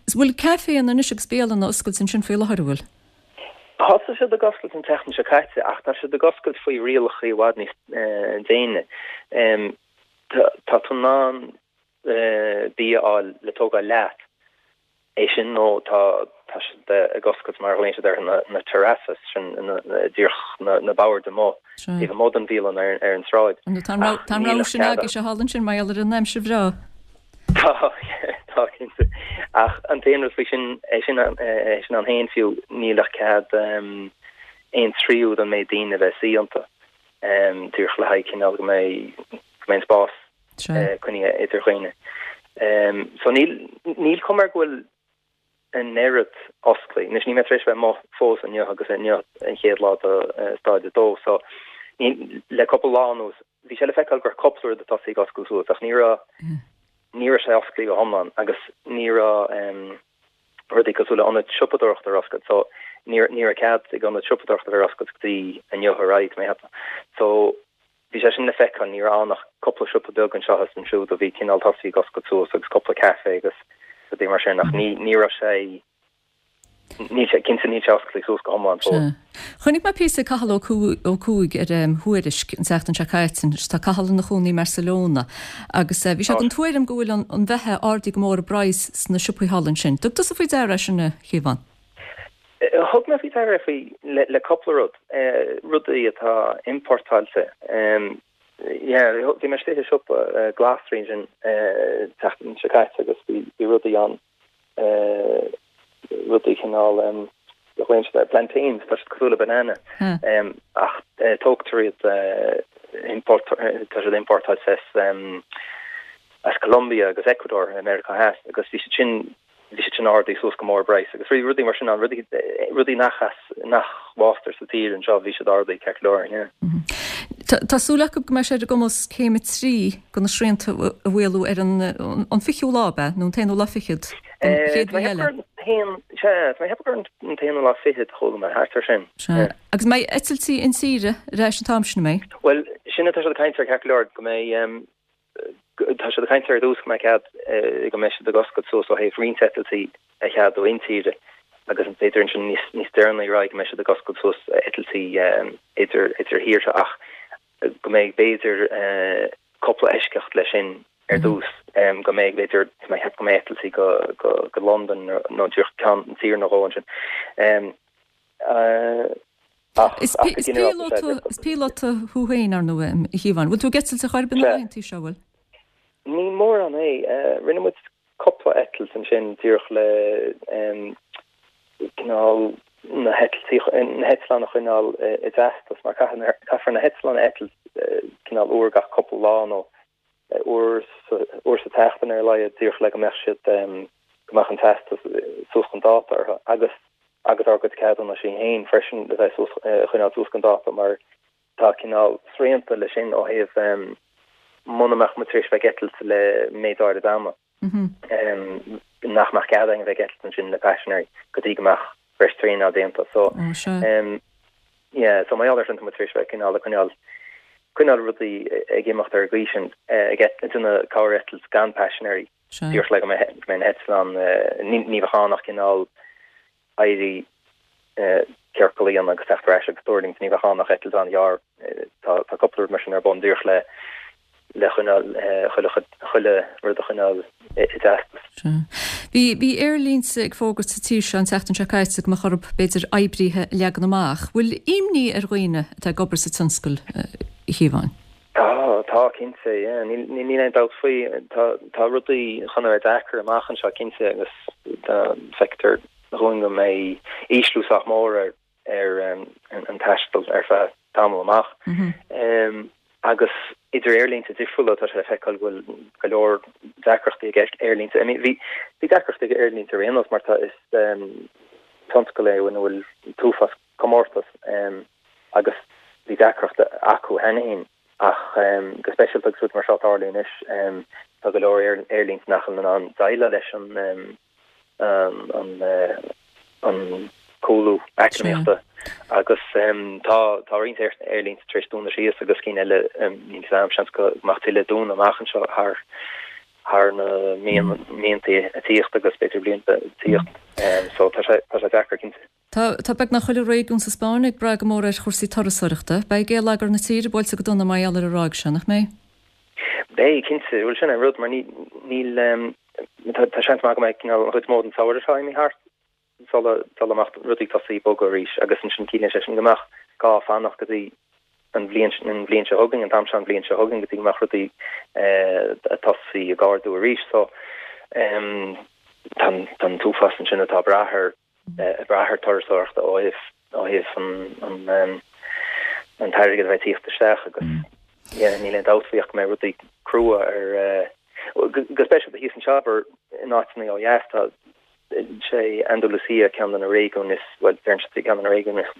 Is bhfuil caiféanna anois agus bialanna oscailte ansin faoi láthair, an bhfuil? Thosaigh siad ag oscailt an tseachtain seo caite ach tá siad ag oscailt faoi rialacha i bhfad níos déine. Tá tú in ann bia a fháil le tógáil leat, é sin nó tá tá siad ag oscailt mar a ghlaonn siad orthu na na terrazas, sin díreach na na boird amuigh taobh amuigh den bhialann ar ar an tsráid. Tá an rogha tá an rogha sin agaibhse thall ansin mar gheall ar an aimsir bhreá. Tá, tá cinnte. Ach an t-aon rud faoi sin, é sin, é sin ann féin fiú, níl ach cead aon tríú den méid daoine a bheith ag suí iontu, díreach le haghaidh cineál go mbeidh, go mbeidh an spás coinnithe idir dhaoine. So níl, níl cuma air go bhfuil an oiread osclaí. Anois níl mé tar éis bheith amuigh fós inniu agus inniu an chéad lá de staid a dó so ní, le cúpla lá anuas bhí sé le feiceáil go raibh cúpla rud ag tosaí ag oscailt suas ach ní raibh, ní raibh sé osclaí go hiomlán agus ní raibh rudaí cosúil le ionaid siopadóireachta ar oscailt so ní, ní raibh cead ag ionaid siopadóireachta a bheith ar oscailt go dtí inniu ar aghaidh, mé a cheapadh. So bhí sé sin le feiceáil, ní raibh ann ach cúpla siopa beag anseo is ansiúd a bhí cineál tosaí ag oscailt suas agus cúpla café agus rudaí mar sin ach ní ní raibh sé níl sé cinnte níl sé oscailte suas go hiomlán fós. Chonaic mé píosa ag Cathal Ó Cuaig ar Thuairisc an tseachtain seo caite, anois tá Cathal ina chónaí i mBarcelona agus bhí sé den tuairim go bhfuil an bheatha ardaithe go mór i bpraghas sna siopaí thall ansin. Dtug tusa faoi deara é sin a Shiobhán? Thug mé faoi deara faoi le cúpla rud, rudaí atá importáilte. Yeah, bhí mé istigh i siopa glasraí ansin an tseachtain seo caite agus bhí rudaí ann, rudaí cineál glaonn siad ar plantains, tá siad cosúil le banana, ach tógtar iad, tá siad importáilte as Colombia agus Ecuador i Meiriceá Theas agus bhí siad sin bhí siad sin ardaithe suas go mór i bpraghas agus rudaí mar sin ann, rudaí rudaí nach as nach bhfástar sa tír anseo bhí siad ardaithe ceart go leor, yeah. Tá súil acu go mbeidh sé ar a gcumas céim a trí de na srianta a mhaolú ar an an fichiú lá, ab ea, nó an t-aonú lá fichead den chéad mhí eile. Sea, tá mé ag ceapadh gur an t-aonú lá fichead a chuala mé, thart ar sin. Sea. Agus mbeidh eitiltí intíre ar ais an t-am sin, an mbeidh? Bhuel, sin atá siad ag caint air ceart go leor, go mbeidh Tá siad ag caint ar dtús go mbeidh cead go mbeidh siad ag oscailt suas ó thaobh roinnt eitiltí a cheadú intíre agus b'fhéidir ansin níos níos deireanaí ar aghaidh go mbeidh siad ag oscailt suas eitiltí idir idir thíortha ach go mbeidh b'fhéidir cúpla eisceacht leis sin ar dtús go mbeidh b'fhéidir tá mé ag ceapadh go mbeidh eitiltí go go go Londain nó díreach ceann tír nó dhó ansin. Ach Is píolóta thú féin, ar ndóigh, a Shiobháin. Bhfuil tú ag eitilt ar chor ar bith na laethanta seo, bhfuil? Ní mórán é. Rinne muid cúpla eitilt ansin díreach le cineál na heitiltí, na heitleáin a choinneáil i dteastas mar caithfear na heitleáin a eitilt cineál uair gach cúpla lá nó uair sa tseachtain ar a laghad díreach le go mbeadh siad, go mbeadh an teastas suas chun dáta orthu agus agus ár gcuid ceadúnaisí féin freisin le bheith suas, a choinneáil suas chun dáta mar tá cineál srianta leis sin ó thaobh muna mbeadh muid tar éis bheith ag eitilt le méid áirid ama, nach mbeadh cead againn a bheith ag eitilt ansin le paisinéirí go dtí go mbeadh breis traenáil déanta. So, yeah, so mar gheall ar sin tá muid tar éis bheith cineál ag coinneáil, coinneáil rudaí ag imeacht ar an gcaoi sin, ag déanamh corr-eitilt gan paisinéirí, díreach le go mbeidh na heitleáin, ní bheadh ann ach cineál éirí ciorcal a dhéanamh agus teacht ar ais agus tuirlingt, ní bheadh ann ach eitilt an-ghearr. Tá tá cúpla rud mar sin ar bun díreach le le choinneáil chuile chuile rud a choinneáil i dteastas. Sea. Bhí bhí aerlínte ag fógairt sa tír seo an tseachtain seo caite go mbeadh orthu b'fhéidir oibrithe a leagan amach. Bhfuil imní ar dhaoine atá ag obair sa tionscal, a Shiobháin? Tá, tá cinnte, yeah. Níl níl aon dabht faoi. Tá tá rudaí chun a bheith deacair amach anseo cinnte agus tá feictear dhúinn go mbeidh ísliú sách mór ar ar an taisteal ar feadh tamall amach. Agus idir aerlínte difriúla tá sé le feiceáil go bhfuil go leor deacrachtaí ag aerlínte. I mean bhí bhí deacrachtaí ag aerlínte ar aon nós mar tá is tionscal é ina bhfuil an t-uafás comórtas agus bhí deacracht acu cheana féin ach go speisialta agus rud mar seo ag tarlú anois tá go leor aerlínte nach bhfuil in ann déileáil leis an an cúlú eacnamaíochta agus tá tá roinnt aerlínte tar éis dúnadh síos agus cinn eile níl a fhios agam seans go mbeadh tuilleadh ag dúnadh amach anseo thar thar na míonta ag tíocht agus b'fhéidir blianta ag tíocht so tá sé tá sé deacair cinnte. Tá tá beagnach chuile réigiún sa Spáinn ag brath go mór ar chúrsaí turasóireachta. Beidh geilleagar na tíre buailte go dona mar gheall ar an ráig seo, nach mbeidh? Beidh, cinnte. Bhuel sin an rud mar ní níl tá seans maith go mbeidh cineál an chuid is mó den samhradh seo imithe thart sula sula mbeadh rudaí ag tosaí ag bogadh arís agus ansin ciallaíonn sé sin go mbeadh gá fanacht go dtí an bhliain an bhliain seo chugainn, an t-am seo an bhliain seo chugainn go dtí go mbeadh rudaí ag tosaí ag ardú arís. So tá tá an t-uafás ansin atá ag brath ar ag brath ar turasóireachta ó thaobh ó thaobh an an an t-airgead a bheith ag tíocht isteach agus yeah níl aon dabht faoi ach go mbeidh rudaí crua ar go speisialta thíos anseo abair in áiteanna ó dheas tá sé Andalusia ceann de na réigiúin is bhuel deireann siad ceann de na réigiúin is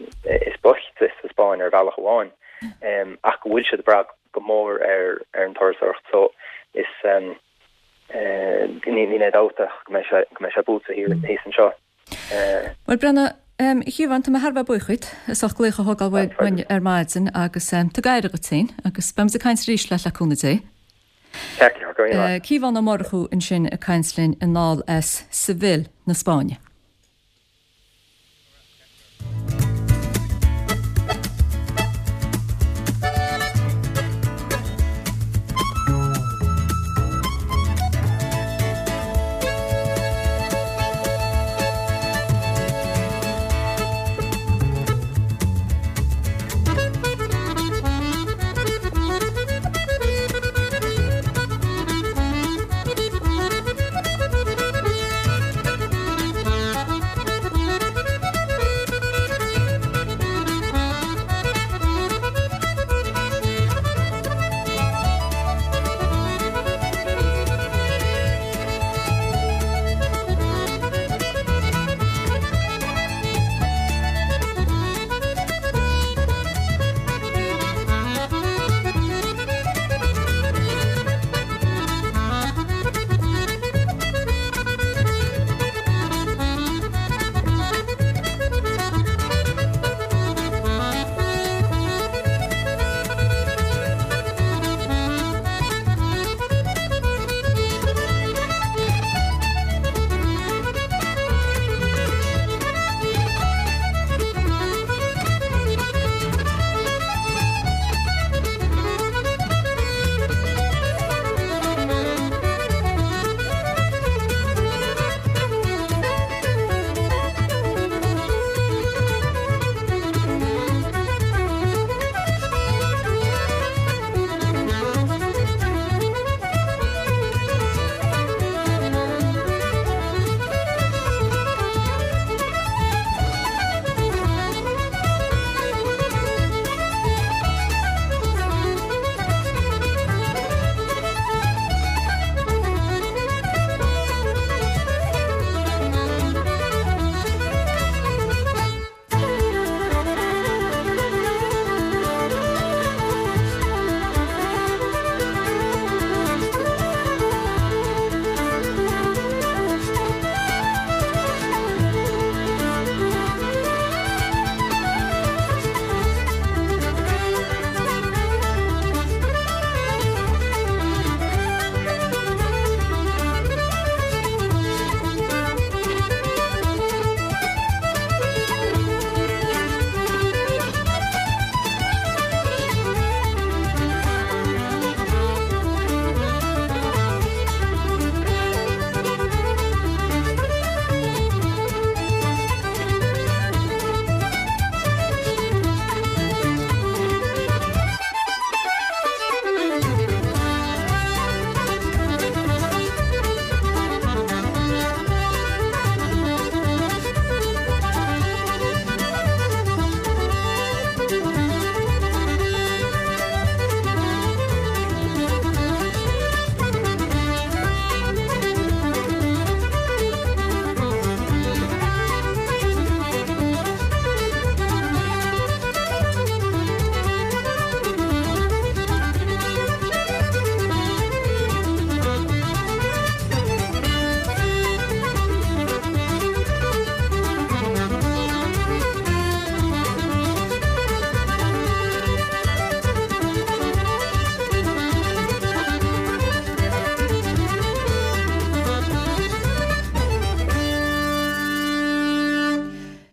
is boichte sa Spáinn ar bhealach amháin ach go bhfuil siad ag brath go mór ar ar an turasóireacht so is níl aon dabht ach go mbeidh sé go mbeidh sé buailte thiar thíos anseo. Bhuel Brenna, A Chiobháin, tá mé thar a bheith buíoch díot as ucht glaoch a thógáil uainn ar maidin agus tabhair aire dhuit féin agus beimid ag caint arís leat le cúnamh Dé. Ceart go leor, go raibh míle maith. Ciobhán Ó Murchú ansin ag caint linn anall as Seville na Spáinne.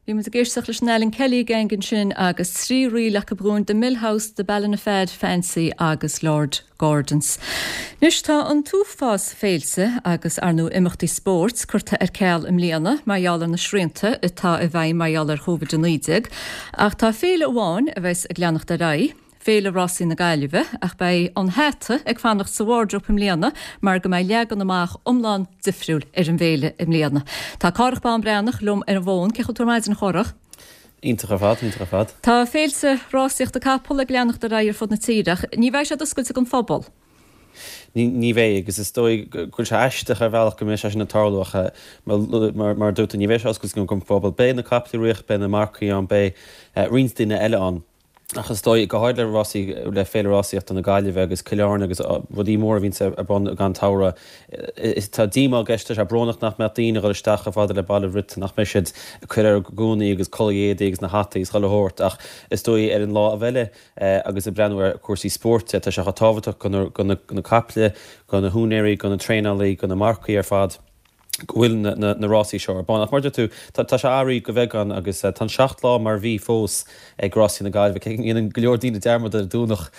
Bhí muid ag éisteacht leis an Alan Kelly Gang ansin agus trí ríl acu dhúinn The Mill House, The Ballinafad Fancy agus Lord Gordon's. Anois tá an t-uafás féilte agus ar ndóigh imeachtaí spóirt curtha ar ceal i mbliana mar gheall ar na srianta atá i bhfeidhm mar gheall ar Covid a naoi déag, ach tá féile amháin a bheas ag leanacht ar aghaidh, Féile Rásaí na Gaillimhe, ach beidh an hata ag fanacht sa wardrobe i mbliana mar go mbeidh leagan amach iomlán difriúil ar an bhféile i mbliana. Tá Cárthach Bán Breathnach liom ar an bhfón. Cén chaoi a bhfuil tú ar maidin, a Chárthach? Iontach ar fad, iontach ar fad. Tá féilte rásaíochta capall ag leanacht ar aghaidh ar fud na tíre ach ní bheidh siad oscailte don phobal. Ní bheidh, agus is dóigh go bhfuil sé aisteach ar bhealach go mbeidh sé sin ag tarlú ach mar a dúirt tú, ní bheidh sé oscailte don phobal. Beidh na caiple ag rith, beidh na marcaigh ann, beidh roinnt daoine eile ann. Ach is dóigh, go háirid le rásaí, le Féile Rásaíochta na Gaillimhe agus Cill Airne agus rudaí móra a bhíonns ar bun ag an tsamhradh, is tá díomá i gceist, tá sé brónach nach mbeadh daoine ag dul isteach chomh fada le Baile Briotain, nach mbeidh siad ag cur ar a gúnaí agus culaith éadaí agus na hataí is chuile shórt. Ach is dóigh ar an lámh eile agus ag breathnú ar chúrsaí spóirt de, tá sé chomh tábhachtach do na caiple, do na húinéirí, do na traenálaí, do na marcaigh ar fad. go bhfuil na rásaí seo ar bun. Ach mar a deir tú, tá sé athraithe go beagán agus tá an seacht lá mar a bhí fós ag Rásaí na Gaillimhe, cé go ndéanann go leor daoine dearmad ar an Domhnach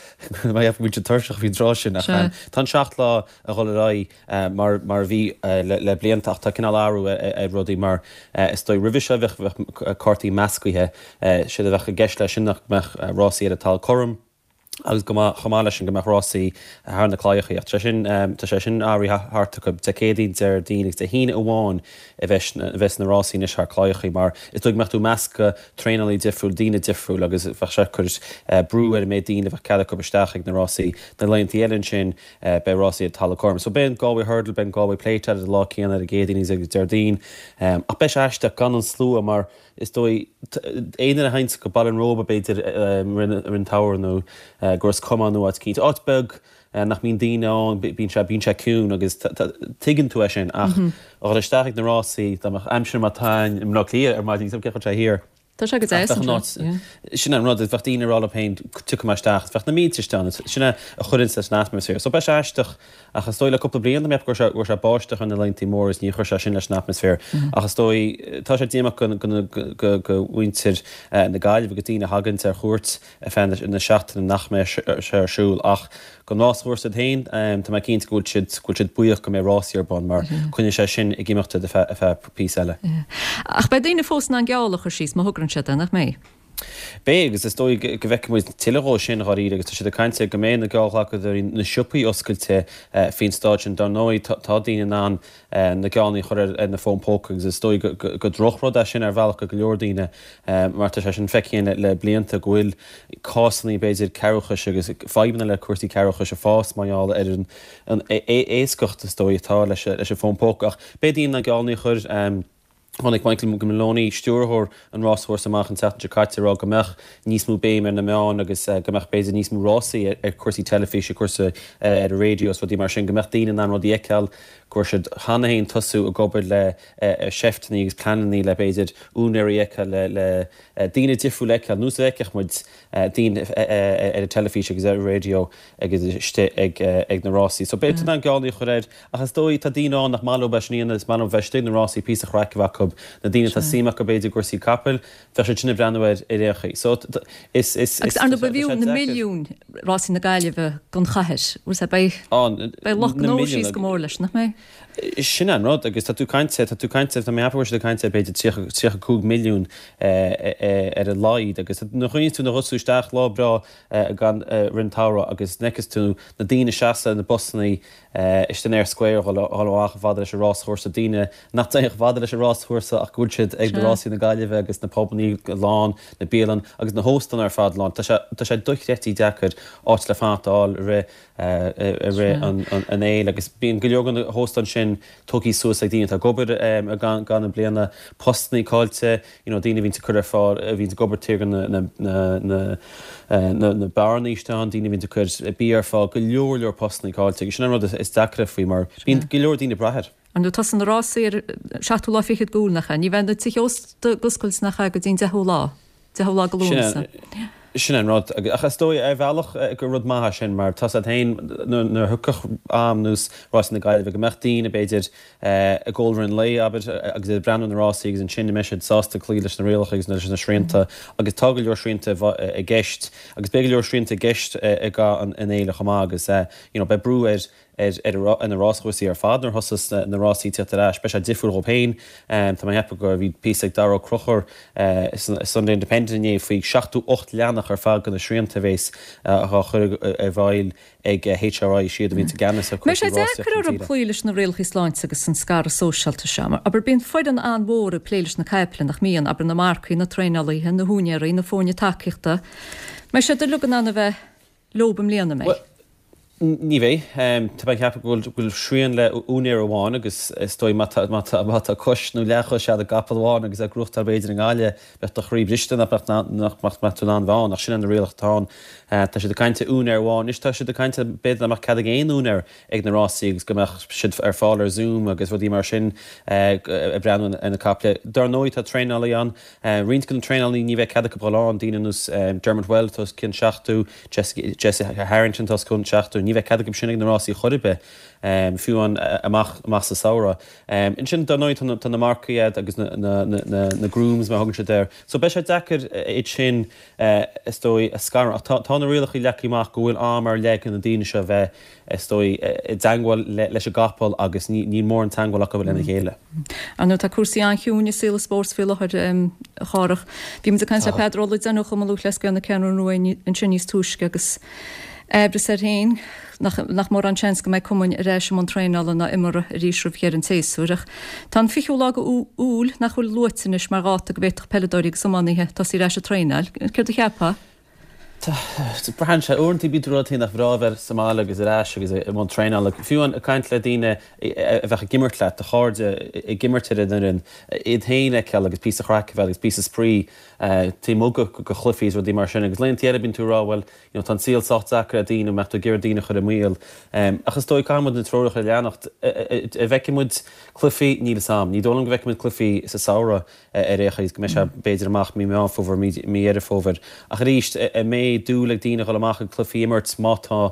mar go mbíonn siad tuirseach faoin tráth sin. Ach tá an seacht lá ag dul ar aghaidh mar mar a bhí le blianta ach tá cineál athrú ar rudaí mar is dóigh roimhe seo bheadh cártaí meascaithe, séard a bheadh i gceist leis sin ná go mbeadh rásaí ar an talamh cothrom, agus go mbeadh, chomh maith leis sin, go mbeadh rásaí thar na claíochaí. Ach tá sé sin, tá sé sin athraithe thart acu. Dé Céadaoin, Déardaoin agus Dé hAoine amháin a bheas, a bheas na rásaí anois thar claíochaí mar is dóigh go mbeadh tú ag meascadh traenálaí difriúil, daoine difriúil agus bheadh sé ag cur brú ar an méid daoine a bheadh cead acu isteach ag na rásaí. Na laethanta eile ansin beidh rásaí ar talamh cothrom. So beidh an Galway Hurdle, beidh an Galway Plate ar an lá céanna ar an gCéadaoin agus Déardaoin. Ach beidh sé aisteach gan an slua mar Is dóigh, aon duine a théanns go Baile an Róba b'fhéidir i rith an tsamhraidh nó go Ros Comáin nó áit eicínt, áit beag nach mbíonn daoine ann, bíonn sé, bíonn sé ciúin agus tuigeann tú é sin ach a dhul isteach ag na rásaí, dá mbeadh aimsir mar atá i mBleá Cliath ar maidin, cén chaoi sé thiar. Tá sé go deas anseo. Sin an rud, bheadh daoine ag rá leo féin, tiocfaidh mé isteach, bheadh na mílte istigh ann, sin é a chuireanns leis an atmaisféar. So beidh sé aisteach Ach is dóigh le cúpla bliain, tá mé ag ceapadh go raibh sé báisteach ar na laethanta móra is níor chuir sé sin leis an atmaisféar. Ach is dóigh, tá sé díomách go mhuintir na Gaillimhe agus daoine a thaganns ar chuairt ar feadh na seachtaine nach mbeidh sé ar siúl. Ach don ráschúrsa iad féin, tá mé cinnte go bhfuil siad, go bhfuil siad buíoch go mbeidh rásaí ar bun mar coinneoidh sé sin ag imeacht ar feadh píosa eile. Ach beidh daoine fós in ann geall a chur síos má thograíonn siad é, nach mbeidh? Beidh, agus is dóigh go bhfeicfidh muid tuilleadh dhó sin dháiríre agus tá siad ag caint ar go mbeidh na geallghlacadóirí, na siopaí oscailte faoin staid sin. Dar ndóigh tá daoine in ann na geallanna a chur ar na fóin póca agus is dóigh go drochrud é sin ar bhealach go go leor daoine mar tá sé sin feicthe againn le blianta go bhfuil cásanna b'fhéidir cearrbhachais agus fadhbanna le cúrsaí cearrbhachais ag fás mar gheall ar an éascacht is dóigh atá leis an bhfón póca. Ach beidh daoine in ann geallanna a chur. Tháinig Michael Maloney, stiúrthóir an ráschúrsa amach an tseachtain seo caite ag rá go mbeadh níos mó béim ar na meáin agus go mbeadh b'fhéidir níos mó rásaí ar chúrsaí teilifíse, cúrsaí ar an raidió is rudaí mar sin, go mbeadh daoine in ann rudaí a fheiceáil, go raibh siad cheana féin tosú ag obair le seifteanna agus pleananna le b'fhéidir úinéirí a fheiceáil, le daoine difriúla a fheiceáil, nós a bhfeicfeadh muid daoine ar an teilifís agus ar an raidió agus istigh ag na rásaí. So beidh tú in ann geallanna a chur air ach is dóigh tá daoine ann nach maith leo é sin a dhéanamh, is maith leo bheith istigh ag na rásaí, píosa craic a bheith acu, na daoine atá suim acu b'fhéidir i gcúrsaí capaill, bheadh siad sin ag breathnú air ar aon chaoi. So is, is, Agus ar ndóigh ba bhfiú na milliúin rásaí na Gaillimhe don chathair, bhfuil sé, beidh, beidh lucht gnó síos go mór leis, nach mbeidh? Sin an rud, agus tá tú ag caint, tá tú ag caint, tá mé ag ceapadh go bhfuil siad ag caint ar b'fhéidir tríocha, tríocha cúig milliún ar a laghad agus nuair a chuimhníonn tú, nuair a ghabhas tú isteach lá breá gan rith an tsamhraidh agus fheiceas tú na daoine ag seasamh ar na busannaí istigh in Eyre Square a dhul amach chomh fada leis an ráschúrsa, daoine nach dtéann chomh fada leis an ráschúrsa ach go bhfuil siad ag na rásaí na Gaillimhe agus na pubannaí lán, na bialann agus na hóstáin ar fad lán. Tá sé, tá sé dochreidte deacair áit le fanacht a fháil i rith i rith an fhéile agus bíonn go leor de na hóstáin sin tógtha suas ag daoine atá ag obair i gcaitheamh na bliana, postannaí caillte, you know daoine a bhíonns ag cur ar fáil, a bhíonns ag obair taobh thiar de na na beáranna istigh ann, daoine a bhíonns ag cur bia ar fáil, go leor leor postannaí caillte agus sin an rud is deacra faoi mar bíonn go leor daoine ag brath air. Ar ndóigh tosaíonn na rásaí ar an seachtú lá fichead d'Iúil, nach ea? Ní bheidh na tithe ósta ag oscailt nach ea go dtí an deichiú lá, deichiú lá de Lúnasa. Sin an rud. Ach is dóigh, ar bhealach, gur rud maith é sin mar tá 's agat féin nuair a thiocfadh am nós Rásaí na Gaillimhe go mbeadh daoine, b'fhéidir, ag ól i rith an lae, abair, agus iad ag breathnú ar na rásaí agus ansin an mbeidh siad sásta cloí leis na rialacha agus leis na srianta agus tá go leor srianta i gceist agus beidh go leor srianta i gceist i gcaitheamh an fhéile chomh maith agus you know beidh brú ar ar na ráschúrsaí ar fad nuair a thosós na rásaí ag tíocht ar ais. Beidh sé difriúil dhóibh féin. Tá mé ag ceapadh go bhí píosa ag Dara Ó Conchúir sa Sunday Independent inné faoi seachtó ocht leathanach ar fad de na srianta a bhéas á chur i bhfeighil ag HRI, siad a bhíonns i gceannas ar Mbeidh chúrsaí sé rásaíochta deacair na orthu tíre. cloí leis na rialacha sláinte agus an scaradh sóisialta seo. Mar, abair, bíonn foireann an-mhór ag plé leis na caiple, nach mbíonn? Abair, na marcaigh, na traenálaithe, na húinéirí, na foirne tacaíochta. Mbeidh siad uilig in ann a bheith leob i mbliana, an mbeidh? Bhuel, Ní bheidh. Tá mé ag ceapadh go bhfuil srian le úinéir amháin agus is dóigh má tá má tá má tá cois nó leathchois a'd i gcapall amháin agus ag gnóthachtáil b'fhéidir i nGaillimh bheadh do chroí briste nach mbeadh nach mbeadh tú in ann bheith ann ach sin é na rialacha atá ann. Tá siad ag caint ar úinéir amháin anois tá siad ag caint b'fhéidir nach mbeadh cead ag aon úinéir ag na rásaí agus go mbeadh siad ar fáil ar Zoom agus rudaí mar sin ag breathnú ar na caiple. Dar ndóigh tá traenálaí ann. Roinnt de na traenálaí ní bheidh cead acu dhul ann, daoine ar nós Dermot Weld atá os cionn seachtó, Jesse Harrington atá os cionn seachtó, ní bheidh cead acu sin ag na rásaí chor ar bith, fiú amháin amach amach sa samhradh. Ansin, dar ndóigh, tá na marcaigh a'd agus na grooms, mar a thugann siad air. So beidh sé deacair iad sin, is dóigh, a scaradh. Ach tá na rialacha leagtha amach go bhfuil am ar leith ag na daoine seo a bheith, is dóigh, i dteangmháil leis an gcapall agus níl mórán teangmháil acu lena chéile. Ar ndóigh, tá cúrsaí an-chiúin i saol an spóirt faoi láthair, a Chárthach. Bhí muid ag caint le Peadar Ó Loideáin ó Chumann Lúthchleas Gael na Ceathrún Rua ansin níos túisce agus aimhreas air féin nach nach mórán seans go mbeidh cumainn ar ais i mbun traenála ná imeartha arís roimh dheireadh an tséasúir. Ach tá an fichiú lá de Iúil nach bhfuil luaite anois mar dháta go bhféadfadh peileadóirí agus iománaithe tosaí ar ais ag traenáil. Céard a cheapfá? Braitheann sé. Uaireanta bíonn tú ag rá nach breá bheith sa mbaile agus ar ais agus i mbun traenála. Fiú ag caint le daoine a bheadh ag imirt leat, do chairde ag imirt ar an fhoireann, iad féin a fheiceáil agus píosa craic a bheith agus píosa spraoi taobh amuigh de chluichí is rudaí mar sin. Agus laethanta eile bíonn tú ag rá bhuel, you know, tá an saol sách deacair le daoine, mbeadh tú ag iarraidh daoine a chur i mbaol. Ach is dóigh caithfidh muid na treoracha a leanacht. An bhfeicfidh muid cluichí? Níl fhios a'm. Ní dóigh liom go bhfeicfidh muid cluichí sa samhradh. ar aon chaoi, go mbeidh sé b'fhéidir amach mí Meán Fómhair, mí Dheireadh Fómhair. Ach arís, an mbeidh dúil ag daoine a dhul amach ag cluichí a imirt má tá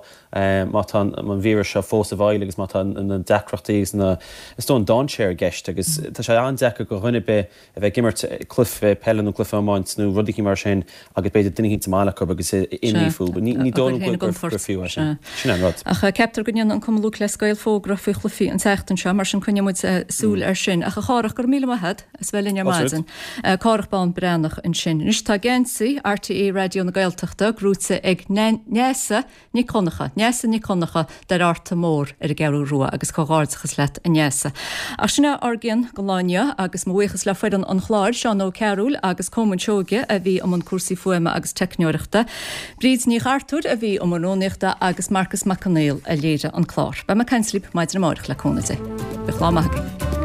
má tá an víreas seo fós i bhfeighil agus má tá na deacrachtaí agus na, is dóigh an dainséar i gceist agus tá sé an-deacair do dhuine ar bith a bheith ag imirt cluiche peile nó cluiche iomáint nó rud eicínt mar sin agus b'fhéidir duine eicínt sa mbaile acu agus imní fúthu. Ní dóigh liom gur fiú é sin. Sin an rud. Ach ceaptar go ndéanfaidh an Cumann Lúthchleas Gael fógra faoi chluichí an tseachtain seo, mar sin coinneoidh muid súil air sin. Ach a Chárthach, go raibh míle maith agat as bheith linn ar maidin. Cárthach Bán Breathnach ansin. Anois tá geansaí RTÉ Raidió na Gaeltachta gnóite ag Neasa Nic Dhonncha, Neasa Nic Dhonncha d'Fhear Fhearta Mór ar an gCeathrú Rua agus comhghairdeachas leat a Neasa. Ach sin é ár gcion don lá inniu agus mo bhuíochas le foireann an chláir, Seán Ó Cearúil agus Colmán Seoige a bhí i mbun cúrsaí fuaime agus teicneoireachta, Bríd Ní Chartúir a bhí i mbun rúnaíochta agus Marcus Mac Conghail a léirigh an clár. Beidh mé ag caint libh maidin amárach le cúnamh Dé. Bíodh lá maith agaibh.